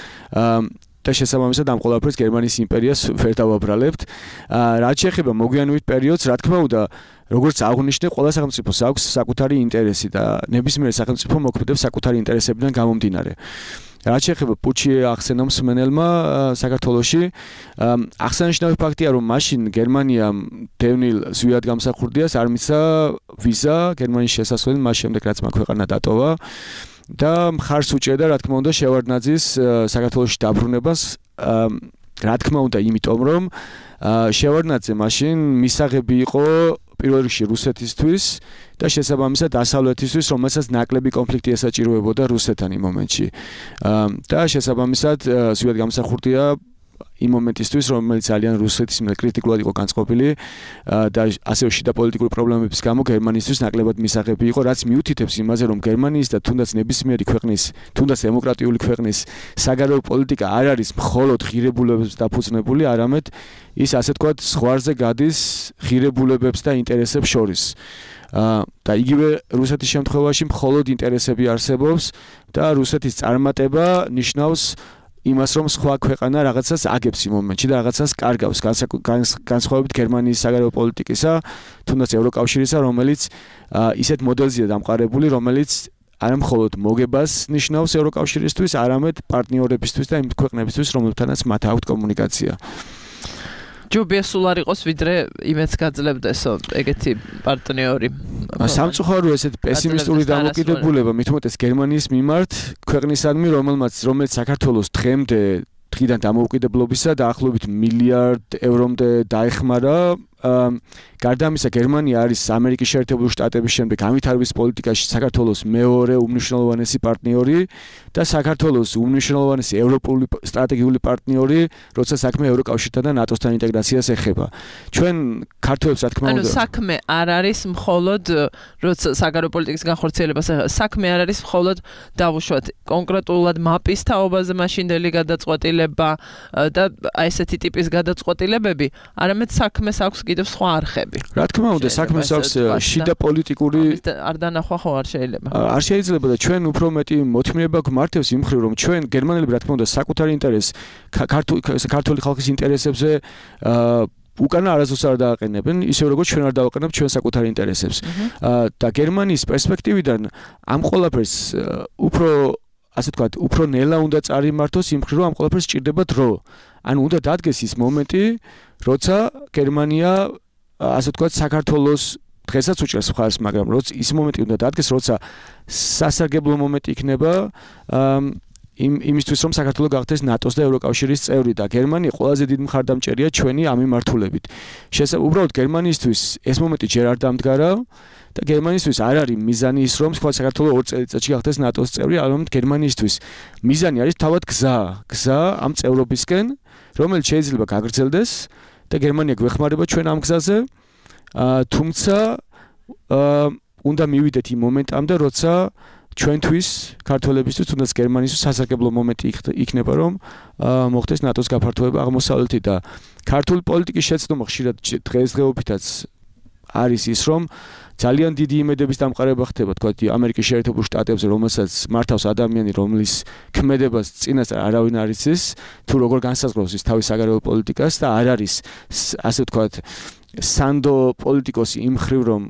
და შესაბამისად ამ ყველაფერს გერმანიის იმპერიას ვერ დავაბრალებთ. რაც შეეხება მოგვიანებით პერიოდს, რა თქმა უნდა, როგორც აღნიშნე, ყველა სახელმწიფოს აქვს საკუთარი ინტერესი და ნებისმიერ სახელმწიფო მოქმედებს საკუთარი ინტერესებიდან გამომდინარე. რაც შეეხება პუტჩი ახსენა მსმენელმა საქართველოში, აღსანიშნავი ფაქტია, რომ მაშინ გერმანიამ დევნილ ზვიად გამსახურდიას არ მიცა ვიზა გერმანიის შესასვლელი მას შემდეგ, რაც მაგ ქვეყანა დატოვა. და მხარს უჭერდა, რა თქმა უნდა, შევარდნაძის საქართველოში დაბრუნებას, რა თქმა უნდა, იმიტომ რომ შევარდნაძე მაშინ მისაღები იყო პირველ რიგში რუსეთისთვის და შესაბამისად დასავლეთისთვის, რომელსაც ნაკლები კონფლიქტი ესაჭიროებოდა რუსეთთან იმ მომენტში. და შესაბამისად ზვიად გამსახურდია იმ მომენტისთვის, რომელიც ძალიან რუსეთის მიერ კრიტიკულად იყო განწყობილი და ასევე შიდა პოლიტიკური პრობლემების გამო გერმანისთვის ნაკლებად მისაღები იყო, რაც მიუთითებს იმაზე, რომ გერმანიის და თუნდაც ნებისმიერი ქვეყნის, თუნდაც დემოკრატიული ქვეყნის საგარეო პოლიტიკა არ არის მხოლოდ ღირებულებებს დაფუძნებული, არამედ ის ასე თქვათ ზღვარზე გადის ღირებულებებს და ინტერესებს შორის. და იგივე რუსეთის შემთხვევაში მხოლოდ ინტერესები არსებობს და რუსეთის წარმატება ნიშნავს იმას, რომ სხვა ქვეყანა რაღაცას აგებს იმ მომენტში და რაღაცას კარგავს, განსხვავებით გერმანიის საგარეო პოლიტიკისა, თუნდაც ევროკავშირისა, რომელიც ისეთ მოდელზეა დამყარებული, რომელიც არა მხოლოდ მოგებას ნიშნავს ევროკავშირისთვის, არამედ პარტნიორებისთვის და იმ ქვეყნებისთვის, რომლებთანაც მათ აქვთ კომუნიკაცია. ჯობია სულ არ იყოს, ვიდრე იმედს გაძლევდესო ეგეთი პარტნიორი. სამწუხარო ესეთ პესიმისტური დამოკიდებულება, მით უმეტეს გერმანიის მიმართ, ქვეყნისადმი, რომელიც საქართველოს დღიდან დამოუკიდებლობისა დაახლოებით მილიარდ ევრომდე დაეხმარა. გარდა ამისა, გერმანია არის ამერიკის შეერთებული შტატების შემდეგ განვითარების პოლიტიკაში საქართველოს მეორე უმნიშვნელოვანესი პარტნიორი და საქართველოს უმნიშვნელოვანესი ევროპული სტრატეგიული პარტნიორი, როცა საქმე ევროკავშირთან და ნატოსთან ინტეგრაციას ეხება. ჩვენ ქართველებს, რა თქმა უნდა, საქმე არ არის მხოლოდ როცა საგარეო პოლიტიკის განხორციელებას ეხება, საქმე არ არის მხოლოდ დავუშვათ კონკრეტულად მაპის თაობაზე მაშინდელი გადაწყვეტილება და ესეთი ტიპის გადაწყვეტილებები, არამედ საქმეს აქვს კიდევ სხვა არხები. რა თქმა უნდა, საქმეს აქვს შიდა პოლიტიკური არ დანახვა ხო არ შეიძლება. არ შეიძლება და ჩვენ უფრო მეტი მოთმინება გვმართებს იმ მხრივ, რომ ჩვენ გერმანელები, რა თქმა უნდა, საკუთარი ინტერესს ქართული ხალხის ინტერესებზე უკანა არასდროს არ დააყენებენ, ისე როგორც ჩვენ არ დავაყენებთ ჩვენ საკუთარ ინტერესებს. და გერმანიის პერსპექტივიდან ამ ყველაფერს უფრო ასე ვთქვათ, უფრო ნელა უნდა წარიმართოს იმ მხრივ, რომ ამ ყველაფერს სჭირდება დრო. ანუ უნდა დადგეს ის მომენტი, როცა გერმანია ასე ვთქვათ, საქართველოს დღესაც უჭერს მხარს, მაგრამ ის მომენტი უნდა დადგეს, როცა სასარგებლო მომენტი იქნება იმისთვის რომ საქართველო გახდეს ნატოს და ევროკავშირის წევრი და გერმანია ყველაზე დიდი მხარდამჭერია ჩვენი ამ მიმართულებით. უბრალოდ გერმანიისთვის ეს მომენტი ჯერ არ დამდგარა და გერმანიისთვის არ არის მიზანი ის რომ სხვა საქართველო 2 წელიწადში გახდეს ნატოს წევრი, არამედ გერმანიისთვის მიზანი არის თავად გზა ამ წევრობისკენ, რომელიც შეიძლება გაგრძელდეს და გერმანია გვეხმარება ჩვენ ამ გზაზე. თუმცა უნდა მივიდეთ იმ მომენტამდე, როცა ჩვენთვის, ქართველებისთვის, თუნდაც გერმანისთვის სასარგებლო მომენტი იქნება, რომ მოხდეს ნატოს გაფართოება აღმოსავლეთით და ქართული პოლიტიკის შეცდომა ხშირად დღესდღეობითაც არის ის, რომ ძალიან დიდი იმედების დამყარება ხდება, თქვა ამერიკის შეერთებულ შტატებზე, რომელსაც მართავს ადამიანი, რომლის ქმედებას წინასწარ არავინ არ იცის, თუ როგორ განსაზღვრავს ის თავის საგარეო პოლიტიკას და არ არის, ასე ვთქვათ, სანდო პოლიტიკოსი იმ მხრივ, რომ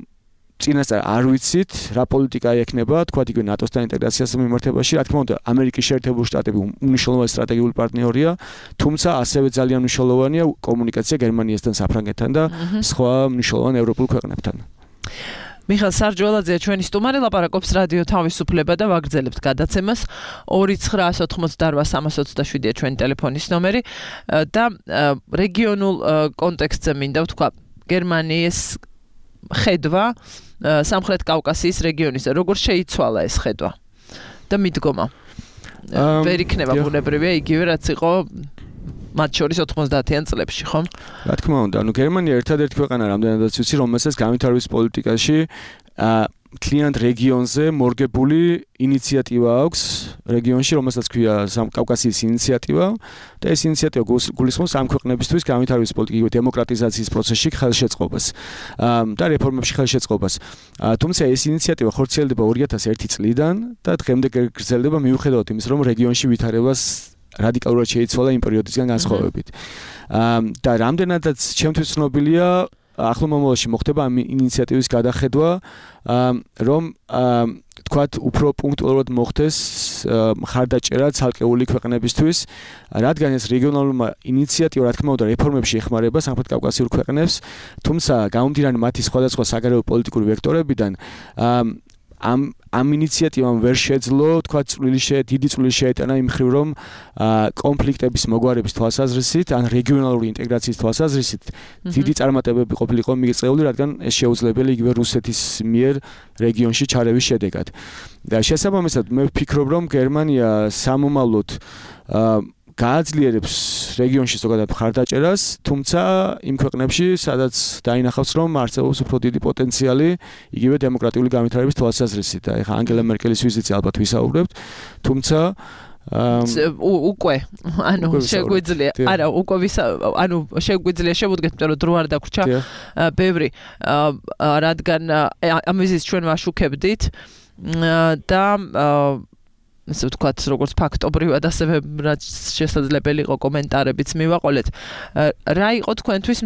წინასწარ არ ვიცით, რა პოლიტიკა ექნება, თქვა იგივე ნატოსთან ინტეგრაციას მიმართებაში, რა თქმა უნდა, ამერიკის შეერთებული შტატები უმნიშვნელოვანესი სტრატეგიული პარტნიორია, თუმცა ასევე ძალიან მნიშვნელოვანია კომუნიკაცია გერმანიასთან, საფრანგეთთან და სხვა მნიშვნელოვან ევროპულ ქვეყნებთან. მიხეილ სარჯველაძეა ჩვენი სტუმარი, ლაპარაკობს რადიო თავისუფლება და ვაგრძელებთ გადაცემას. 2988327-ია ჩვენი ტელეფონის ნომერი და რეგიონულ კონტექსტზე მინდა ვთქვა, გერმანიის ხედვა სამხრეთ კავკასიის რეგიონის როგორ შეიცვალა ეს ხედვა და მიდგომა ვერ იქნება ბუნებრივია იგივე რაც იყო მათ შორის 90-იან წლებში, ხო? რა თქმა უნდა, გერმანია ერთადერთი ქვეყანა რამდენადაც ვიცი, რომელსაც განვითარების პოლიტიკაში კლient რეგიონზე მორგებული ინიციატივა აქვს რეგიონში, რომელსაც ქვია კავკასიის ინიციატივა და ეს ინიციატივა გულისხმობს ამ ქვეყნებისთვის განვითარების პოლიტიკის დემოკრატიზაციის პროცესში ხელშეწყობას და რეფორმებში ხელშეწყობას. თუმცა ეს ინიციატივა ხორციელდება 2001 წლიდან და დღემდე გრძელდება მიუხედავად იმის, რომ რეგიონში ვითარებას რადიკალურად შეიცვალა იმ პერიოდისგან განსხვავებით. და რამდენადაც ჩემთვის ცნობილია ახლო მომავალში მოხდება ამ ინიციატივის გადახედვა, რომ თქვათ უფრო პუნქტუალურად მოხდეს მხარდაჭერა ცალკეული ქვეყნებისთვის, რადგან ეს რეგიონალურმა ინიციატივა, რა თქმა უნდა, რეფორმებში ეხმარება სამხრეთ კავკასიურ ქვეყნებს, თუმცა გამომდინარე მათი სხვადასხვა საგარეო პოლიტიკური ვექტორებიდან ამ ინიციატივამ ვერ შეძლო, თქვა დიდი წვლილი შეეტანა იმ მხრივ, რომ კონფლიქტების მოგვარების თვალსაზრისით, ან რეგიონალური ინტეგრაციის თვალსაზრისით, დიდი წარმატებები ყოფილიყო მიღწეული, რადგან ეს შეუძლებელი იგივე რუსეთის მიერ რეგიონში ჩარევის შედეგად. და შესაბამისად, მე ვფიქრობ, რომ გერმანია სამომავლოდ გააძლიერებს რეგიონში ზოგადად მხარდაჭერას, თუმცა იმ ქვეყნებში, სადაც დაინახავს, რომ არსებობს უფრო დიდი პოტენციალი იგივე დემოკრატიული განვითარების თვალსაზრისით. და ეხლა ანგელა მერკელის ვიზიტზე ალბათ ვისაუბრებთ, თუმცა უკვე შეგვიძლია, არა, უკვე შეგვიძლია შევუდგეთ, რომ დრო არ დაგვრჩა ბევრი, რადგან ამ ვიზიტს ჩვენ ვაშუქებდით და ესე ვთქვათ, როგორც ფაქტობრივად, ასევე რაც შესაძლებელი იყო კომენტარებიც მივაყოლეთ. რა იყო თქვენთვის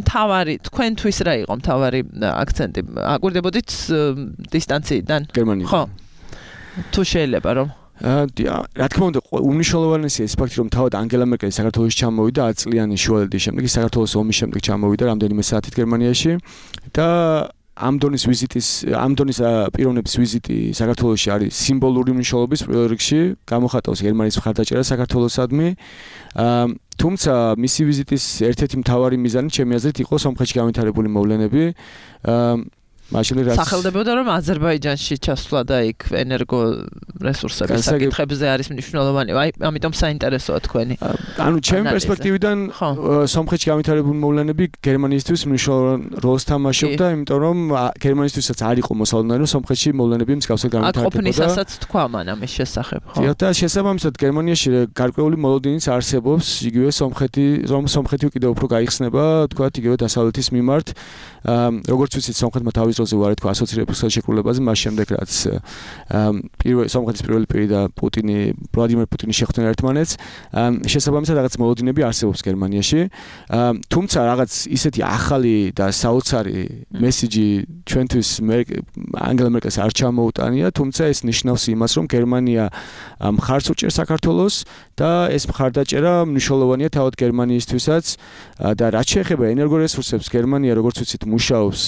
რა იყო მთავარი აქცენტი? აკვირდებოდით დისტანციიდან? გერმანიიდან. ხო. თუ შეიძლება რომ რა თქმა უნდა, უმნიშვნელოვანესია ეს ფაქტი, რომ თავად ანგელა მერკელი საქართველოში ჩამოვიდა 10 წლიანი შუალედის შემდეგ, საქართველოს ომის შემდეგ ჩამოვიდა რამდენიმე საათით გერმანიაში და ამ დონის პიროვნების ვიზიტი საქართველოში არის სიმბოლური მნიშვნელობის პირველ რიგში, გამოხატავს გერმანიის მხარდაჭერას საქართველოსადმი. თუმცა მისი ვიზიტის ერთ-ერთი მთავარი მიზანი ჩემი აზრით იყო სომხეთში განვითარებული მოვლენები. სახელდებოდა რომ აზერბაიჯანში ჩასვლა და იქ ენერგო რესურსების საკითხებზე არის მნიშვნელოვანი. აი, ამიტომ საინტერესოა თქვენი. ანუ ჩემი პერსპექტივიდან სომხეთში განვითარებული მოვლენები გერმანიისთვის მნიშვნელოვან როლს თამაშობდა, იმიტომ რომ გერმანიისთვისაც არ იყო მოსალოდნელი, რომ სომხეთში მოვლენები მსგავსად განვითარდებოდა. აქ ყოფნისასაც თქვა მან ამის შესახებ, ხო? და შესაბამისად გერმანიაში გარკვეული მოლოდინიც არსებობს, იგივე სომხეთი კიდევ უფრო გაიხსნება, თქვა იგივე დასავლეთის მიმართ. როგორც ვიცით, სომხეთმა თავის დროზე უარი თქვა ასოცირების ხელშეკრულებაზე, მას შემდეგ რაც სომხეთის პირველი პირი და ვლადიმერ პუტინი შეხვდნენ ერთმანეთს, შესაბამისად რაღაც მოლოდინები არსებობს გერმანიაში. თუმცა რაღაც ისეთი ახალი და საოცარი მესიჯი ჩვენთვის ანგელა მერკელს არ ჩამოუტანია, თუმცა ეს ნიშნავს იმას, რომ გერმანია მხარს უჭერს საქართველოს და ეს მხარდაჭერა მნიშვნელოვანია თავად გერმანიისთვისაც და რაც შეეხება ენერგორესურსებს, გერმანია როგორც ვიცით მუშაობს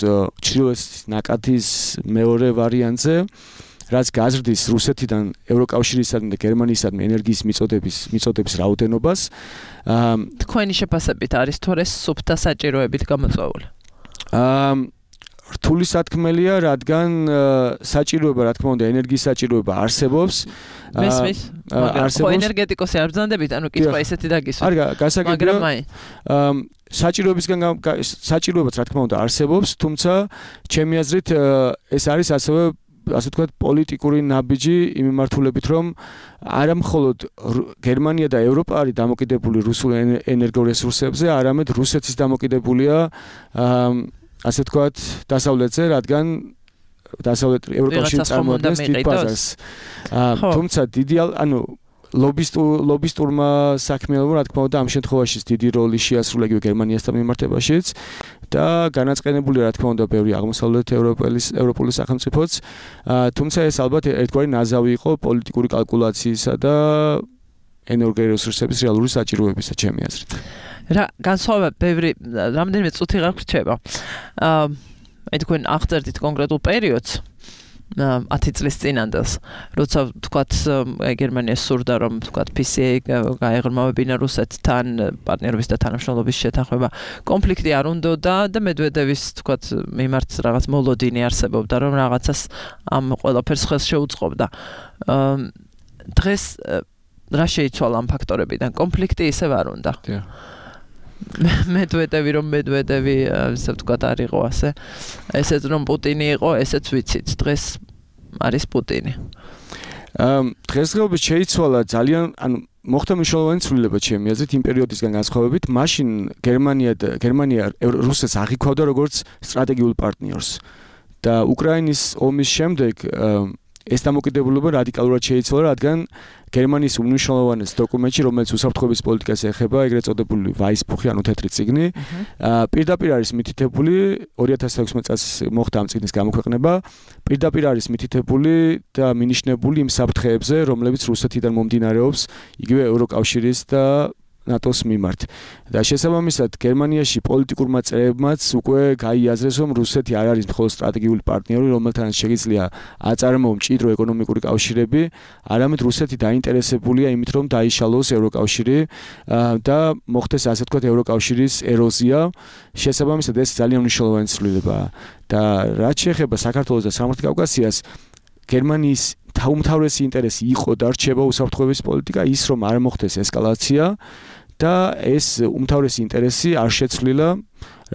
ჩრდილოეთის ნაკადის მეორე ვარიანტზე, რაც გაზრდის რუსეთიდან ევროკავშირისადმი და გერმანიისადმი ენერგიის მიწოდების რაოდენობას. თქვენი შეფასებით არის თუ ეს სუფთა საჭიროებით გამოწვეული? რთული სათქმელია, რადგან საჭიროება, რა თქმა უნდა, ენერგიის საჭიროება არსებობს. მესმის? ხო, ენერგეტიკოსი არ ბრძანდებით, ანუ კითხვა ისეთი დაგისვა. არ გასაგებია. საჭიროებაც რა თქმა უნდა არსებობს, თუმცა ჩემი აზრით ეს არის ასევე ასე ვთქვათ პოლიტიკური ნაბიჯი იმ მიმართულებით, რომ არა მხოლოდ გერმანია და ევროპა არის დამოკიდებული რუსულ ენერგორესურსებზე, არამედ რუსეთიც დამოკიდებულია ასე ვთქვათ დასავლეთზე, რადგან დასავლეთ ევროკავშირი წარმოადგენს დიდ ბაზარს. თუმცა დიდი ანუ ლობისტურმა საქმიანობამ რა თქმა უნდა ამ შემთხვევაში დიდი როლი შეასრულა იგივე გერმანიასთან მიმართებაშიც და განაწყენებული რა თქმა უნდა ბევრი აღმოსავლეთ ევროპული სახელმწიფოც, თუმცა ეს ალბათ ერთგვარი ნაზავი იყო პოლიტიკური კალკულაციისა და ენერგორესურსების რეალური საჭიროებისა, ჩემი აზრით. რა განსხვავება ბევრი რამდენიმე წუთი გაგვრჩება. თქვენ აღწერდით კონკრეტულ პერიოდს 10 წლის წინანდელს, როცა თქვათ გერმანიას სურდა რომ თქვათ PCA გაეღრმავებინა რუსეთთან პარტნიორობის და თანამშრომლობის შეთანხმება. კონფლიქტი არ უნდოდა და მედვედევის თქვათ მიმართ რაღაც მოლოდინი არსებობდა, რომ რაღაცას ამ ყველაფერს ხელს შეუწყობდა. დღეს რა შეიცვალა ამ ფაქტორებიდან? კონფლიქტი ისევ არ უნდა. მედვედევი ასე ვთქვათ არ იყო ასე. ესეც რომ პუტინი იყო, ესეც ვიცით. დღეს არის პუტინი. დღესდღეობით შეიცვალა ძალიან, ანუ მოხდა მნიშვნელოვანი ცვლილება ჩემი აზრით იმ პერიოდისგან განსხვავებით. მაშინ გერმანია რუსეთს აღიქვავდა როგორც სტრატეგიულ პარტნიორს და უკრაინის ომის შემდეგ ეს დამოკიდებულება რადიკალურად შეიცვალა, რადგან გერმანიის უმნიშვნელოვანეს დოკუმენტში, რომელიც უსაფრთხოების პოლიტიკას ეხება, ეგრეთ წოდებული ვაისბუხი, ანუ თეთრი წიგნი, პირდაპირ არის მითითებული 2016 წელს მოხდა ამ წიგნის გამოქვეყნება, პირდაპირ არის მითითებული და მინიშნებული იმ საფრთხეებზე, რომლებიც რუსეთიდან მომდინარეობს, იგივე ევროკავშირის და ნატოს მიმართ. და შესაბამისად გერმანიაში პოლიტიკურმა წრეებმაც უკვე გაიაზრეს, რომ რუსეთი არ არის მხოლოდ სტრატეგიული პარტნიორი, რომელთანაც შეიძლება აწარმოო მჭიდრო ეკონომიკური კავშირები, არამედ რუსეთი დაინტერესებულია იმით, რომ დაიშალოს ევროკავშირი და მოხდეს ასე ვთქვათ ევროკავშირის ეროზია. შესაბამისად ეს ძალიან მნიშვნელოვანი ცვლილებაა. და რაც შეეხება საქართველოს და სამხრეთ კავკასიას, გერმანიის უმთავრესი ინტერესი იყო და რჩება უსაფრთხოების პოლიტიკა, ის რომ არ მოხდეს ესკალაცია და ეს უმთავრესი ინტერესი არ შეცვლილა,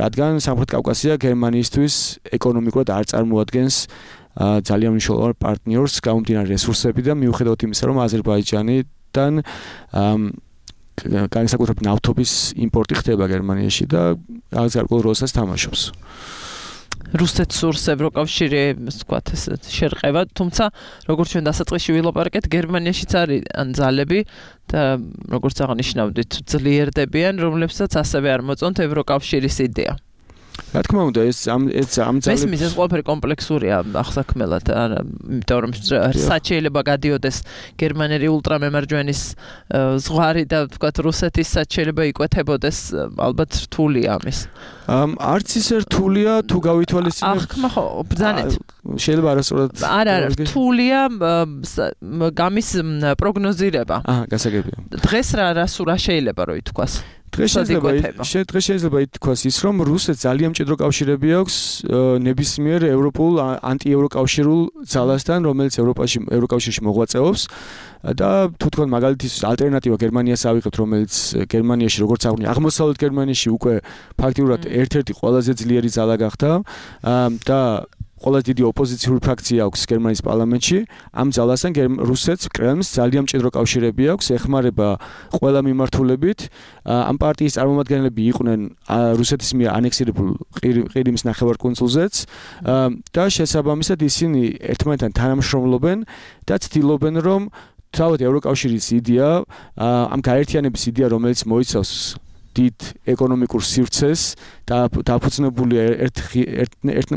რადგან სამხრეთ კავკასია გერმანიისთვის ეკონომიკურად არ წარმოადგენს ძალიან მნიშვნელოვან პარტნიორს გამომდინარე რესურსებიდან, მიუხედავად იმისა, რომ აზერბაიჯანიდან განსაკუთრებით ნავთობის იმპორტი ხდება გერმანიაში და რაღაც გარკვეულ როლსაც თამაშობს. რუსეთს სურს ევროკავშირი, ვთქვათ, შერყევა, თუმცა როგორც ჩვენ დასაწყისში ვილაპარაკეთ, გერმანიაშიც არის ძალები და როგორც აღნიშნავდით, ძლიერდებიან, რომლებსაც ასევე არ მოწონთ ევროკავშირის იდეა. რა თქმა უნდა, ეს ამ ძალებს მესმის ეს ყველაფერი კომპლექსურია ახსაქმელად, იმიტომ რომ შეიძლება გადიოდეს გერმანელი ულტრამემარჯვენის ზღვარი და ვთქვათ რუსეთის შეიძლება იკვეთებოდეს, ალბათ რთულია ამის. არც ისე რთულია თუ გავითვალისწინებთ. ხო, ბრძანეთ. შეიძლება არასწორად. არა, რთულია გამის პროგნოზირება. გასაგებია. დღეს რა შეიძლება რო ითქვას? დღეს შეიძლება ითქვას ის, რომ რუსეთს ძალიან მჭიდრო კავშირები აქვს ნებისმიერ ევროპულ ანტიევროკავშირულ ძალასთან, რომელიც ევროკავშირში მოღვაწეობს და თუ თქვენ მაგალითის ალტერნატივა გერმანიას ავიღებთ, რომელიც გერმანიაში როგორც აღნიშნე, აღმოსავლეთ გერმანიაში უკვე ფაქტიურად ერთ-ერთი ყველაზე ძლიერი ძალა გახდა და ყველაზე დიდი ოპოზიციური ფრაქცია აქვს გერმანიის პარლამენტში. ამ ძალასთან რუსეთს კრემლს ძალიან მჭიდრო კავშირები აქვს, ეხმარება ყველა მიმართულებით. ამ პარტიის წარმომადგენლები იყვნენ რუსეთის მიერ ანექსირებულ ყირიმის ნახევარკუნძულზეც და შესაბამისად ისინი ერთმანეთთან თანამშრომლობენ და ცდილობენ, რომ თავად ევროკავშირის იდეა, ამ გაერთიანების იდეა, რომელიც მოიცავს დიდ ეკონომიკურ სივრცეს და დაფუძნებული ერთ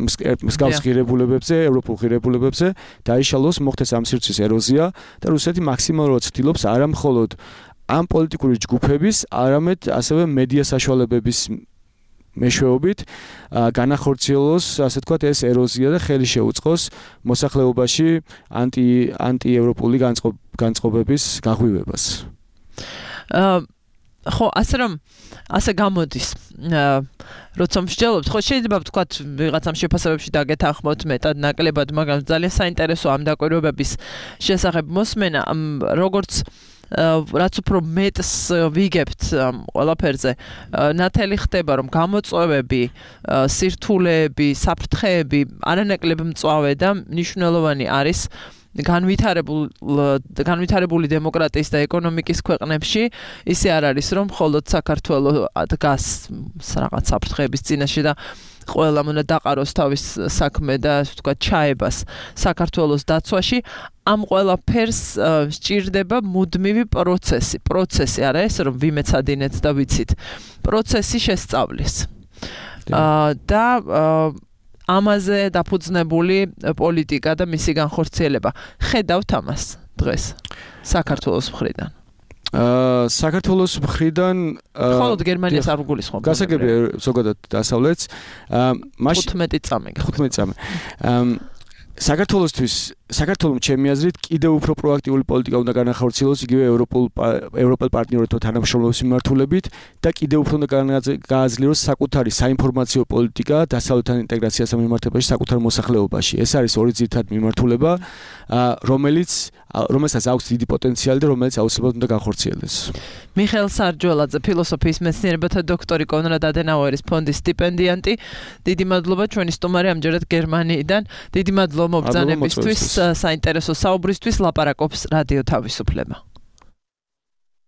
მსგავს ღირებულებებზე, ევროპულ ღირებულებებზე დაიშალოს, მოხდეს ამ სივრცის ეროზია და რუსეთი მაქსიმალურად ცდილობს არა მხოლოდ ამ პოლიტიკური ჯგუფების, არამედ ასევე მედია საშუალებების მეშვეობით განახორციელოს, ასე ვთქვათ, ეს ეროზია და ხელი შეუწყოს მოსახლეობაში ანტიევროპული განწყობების გაღვივებას. ხო, ასე გამოდის. როცა მსჯელობთ, ხო შეიძლება ვთქვათ, ვიღაცამ შეფასებებში დაგეთანხმოთ მეტად ნაკლებად, მაგრამ ძალიან საინტერესოა ამ დაკვირვებების შესახებ მოსმენა, როგორც რაც უფრო მეტს ვიგებთ ყველაფერზე, ნათელი ხდება, რომ გამოწვევები, სირთულეები, საფრთხეები არანაკლებ მწვავე და მნიშვნელოვანი არის განვითარებული დემოკრატიის და ეკონომიკის ქვეყნებში. ისე არ არის, რომ მხოლოდ საქართველოს დგას რაღაც საფრთხეების წინაშე და ყველამ უნდა დაყაროს თავის საქმე და ასე ვთქვათ ჩაებას საქართველოს დაცვაში. ამ ყველაფერს სჭირდება მუდმივი პროცესი არა ეს რომ ვიმეცადინეთ და ვიცით პროცესი შესწავლის და ამაზე დაფუძნებული პოლიტიკა და მისი განხორციელება. ხედავთ ამას დღეს საქართველოს მხრიდან. საქართველოს მხრიდან მხოლოდ გერმანიას არ გულისხმობ. გასაგებია ზოგადად დასავლეთს. 15 წამი. საქართველოს ჩემი აზრით კიდევ უფრო პროაქტიული პოლიტიკა უნდა განახორციელოს იგივე ევროპელ პარტნიორებთან თანამშრომლობის მიმართულებით და კიდევ უფრო უნდა გააძლიეროს საკუთარი საინფორმაციო პოლიტიკა დასავლეთთან ინტეგრაციასთან მიმართებაში საკუთარ მოსახლეობაში. ეს არის ორი ძირითადი მიმართულება, რომელსაც აქვს დიდი პოტენციალი და რომელიც აუცილებლად უნდა განხორციელდეს. მიხეილ სარჯველაძე, ფილოსოფიის მეცნიერებათა დოქტორი, კონრად ადენაუერის ფონდის სტიპენდიანტი. დიდი მადლობა ჩვენი სტუმარი ამჯერად გერმანიიდან. დიდი მადლობა მობრძანებისთვის, საინტერესო საუბრისთვის. ლაპარაკობს რადიო თავისუფლება.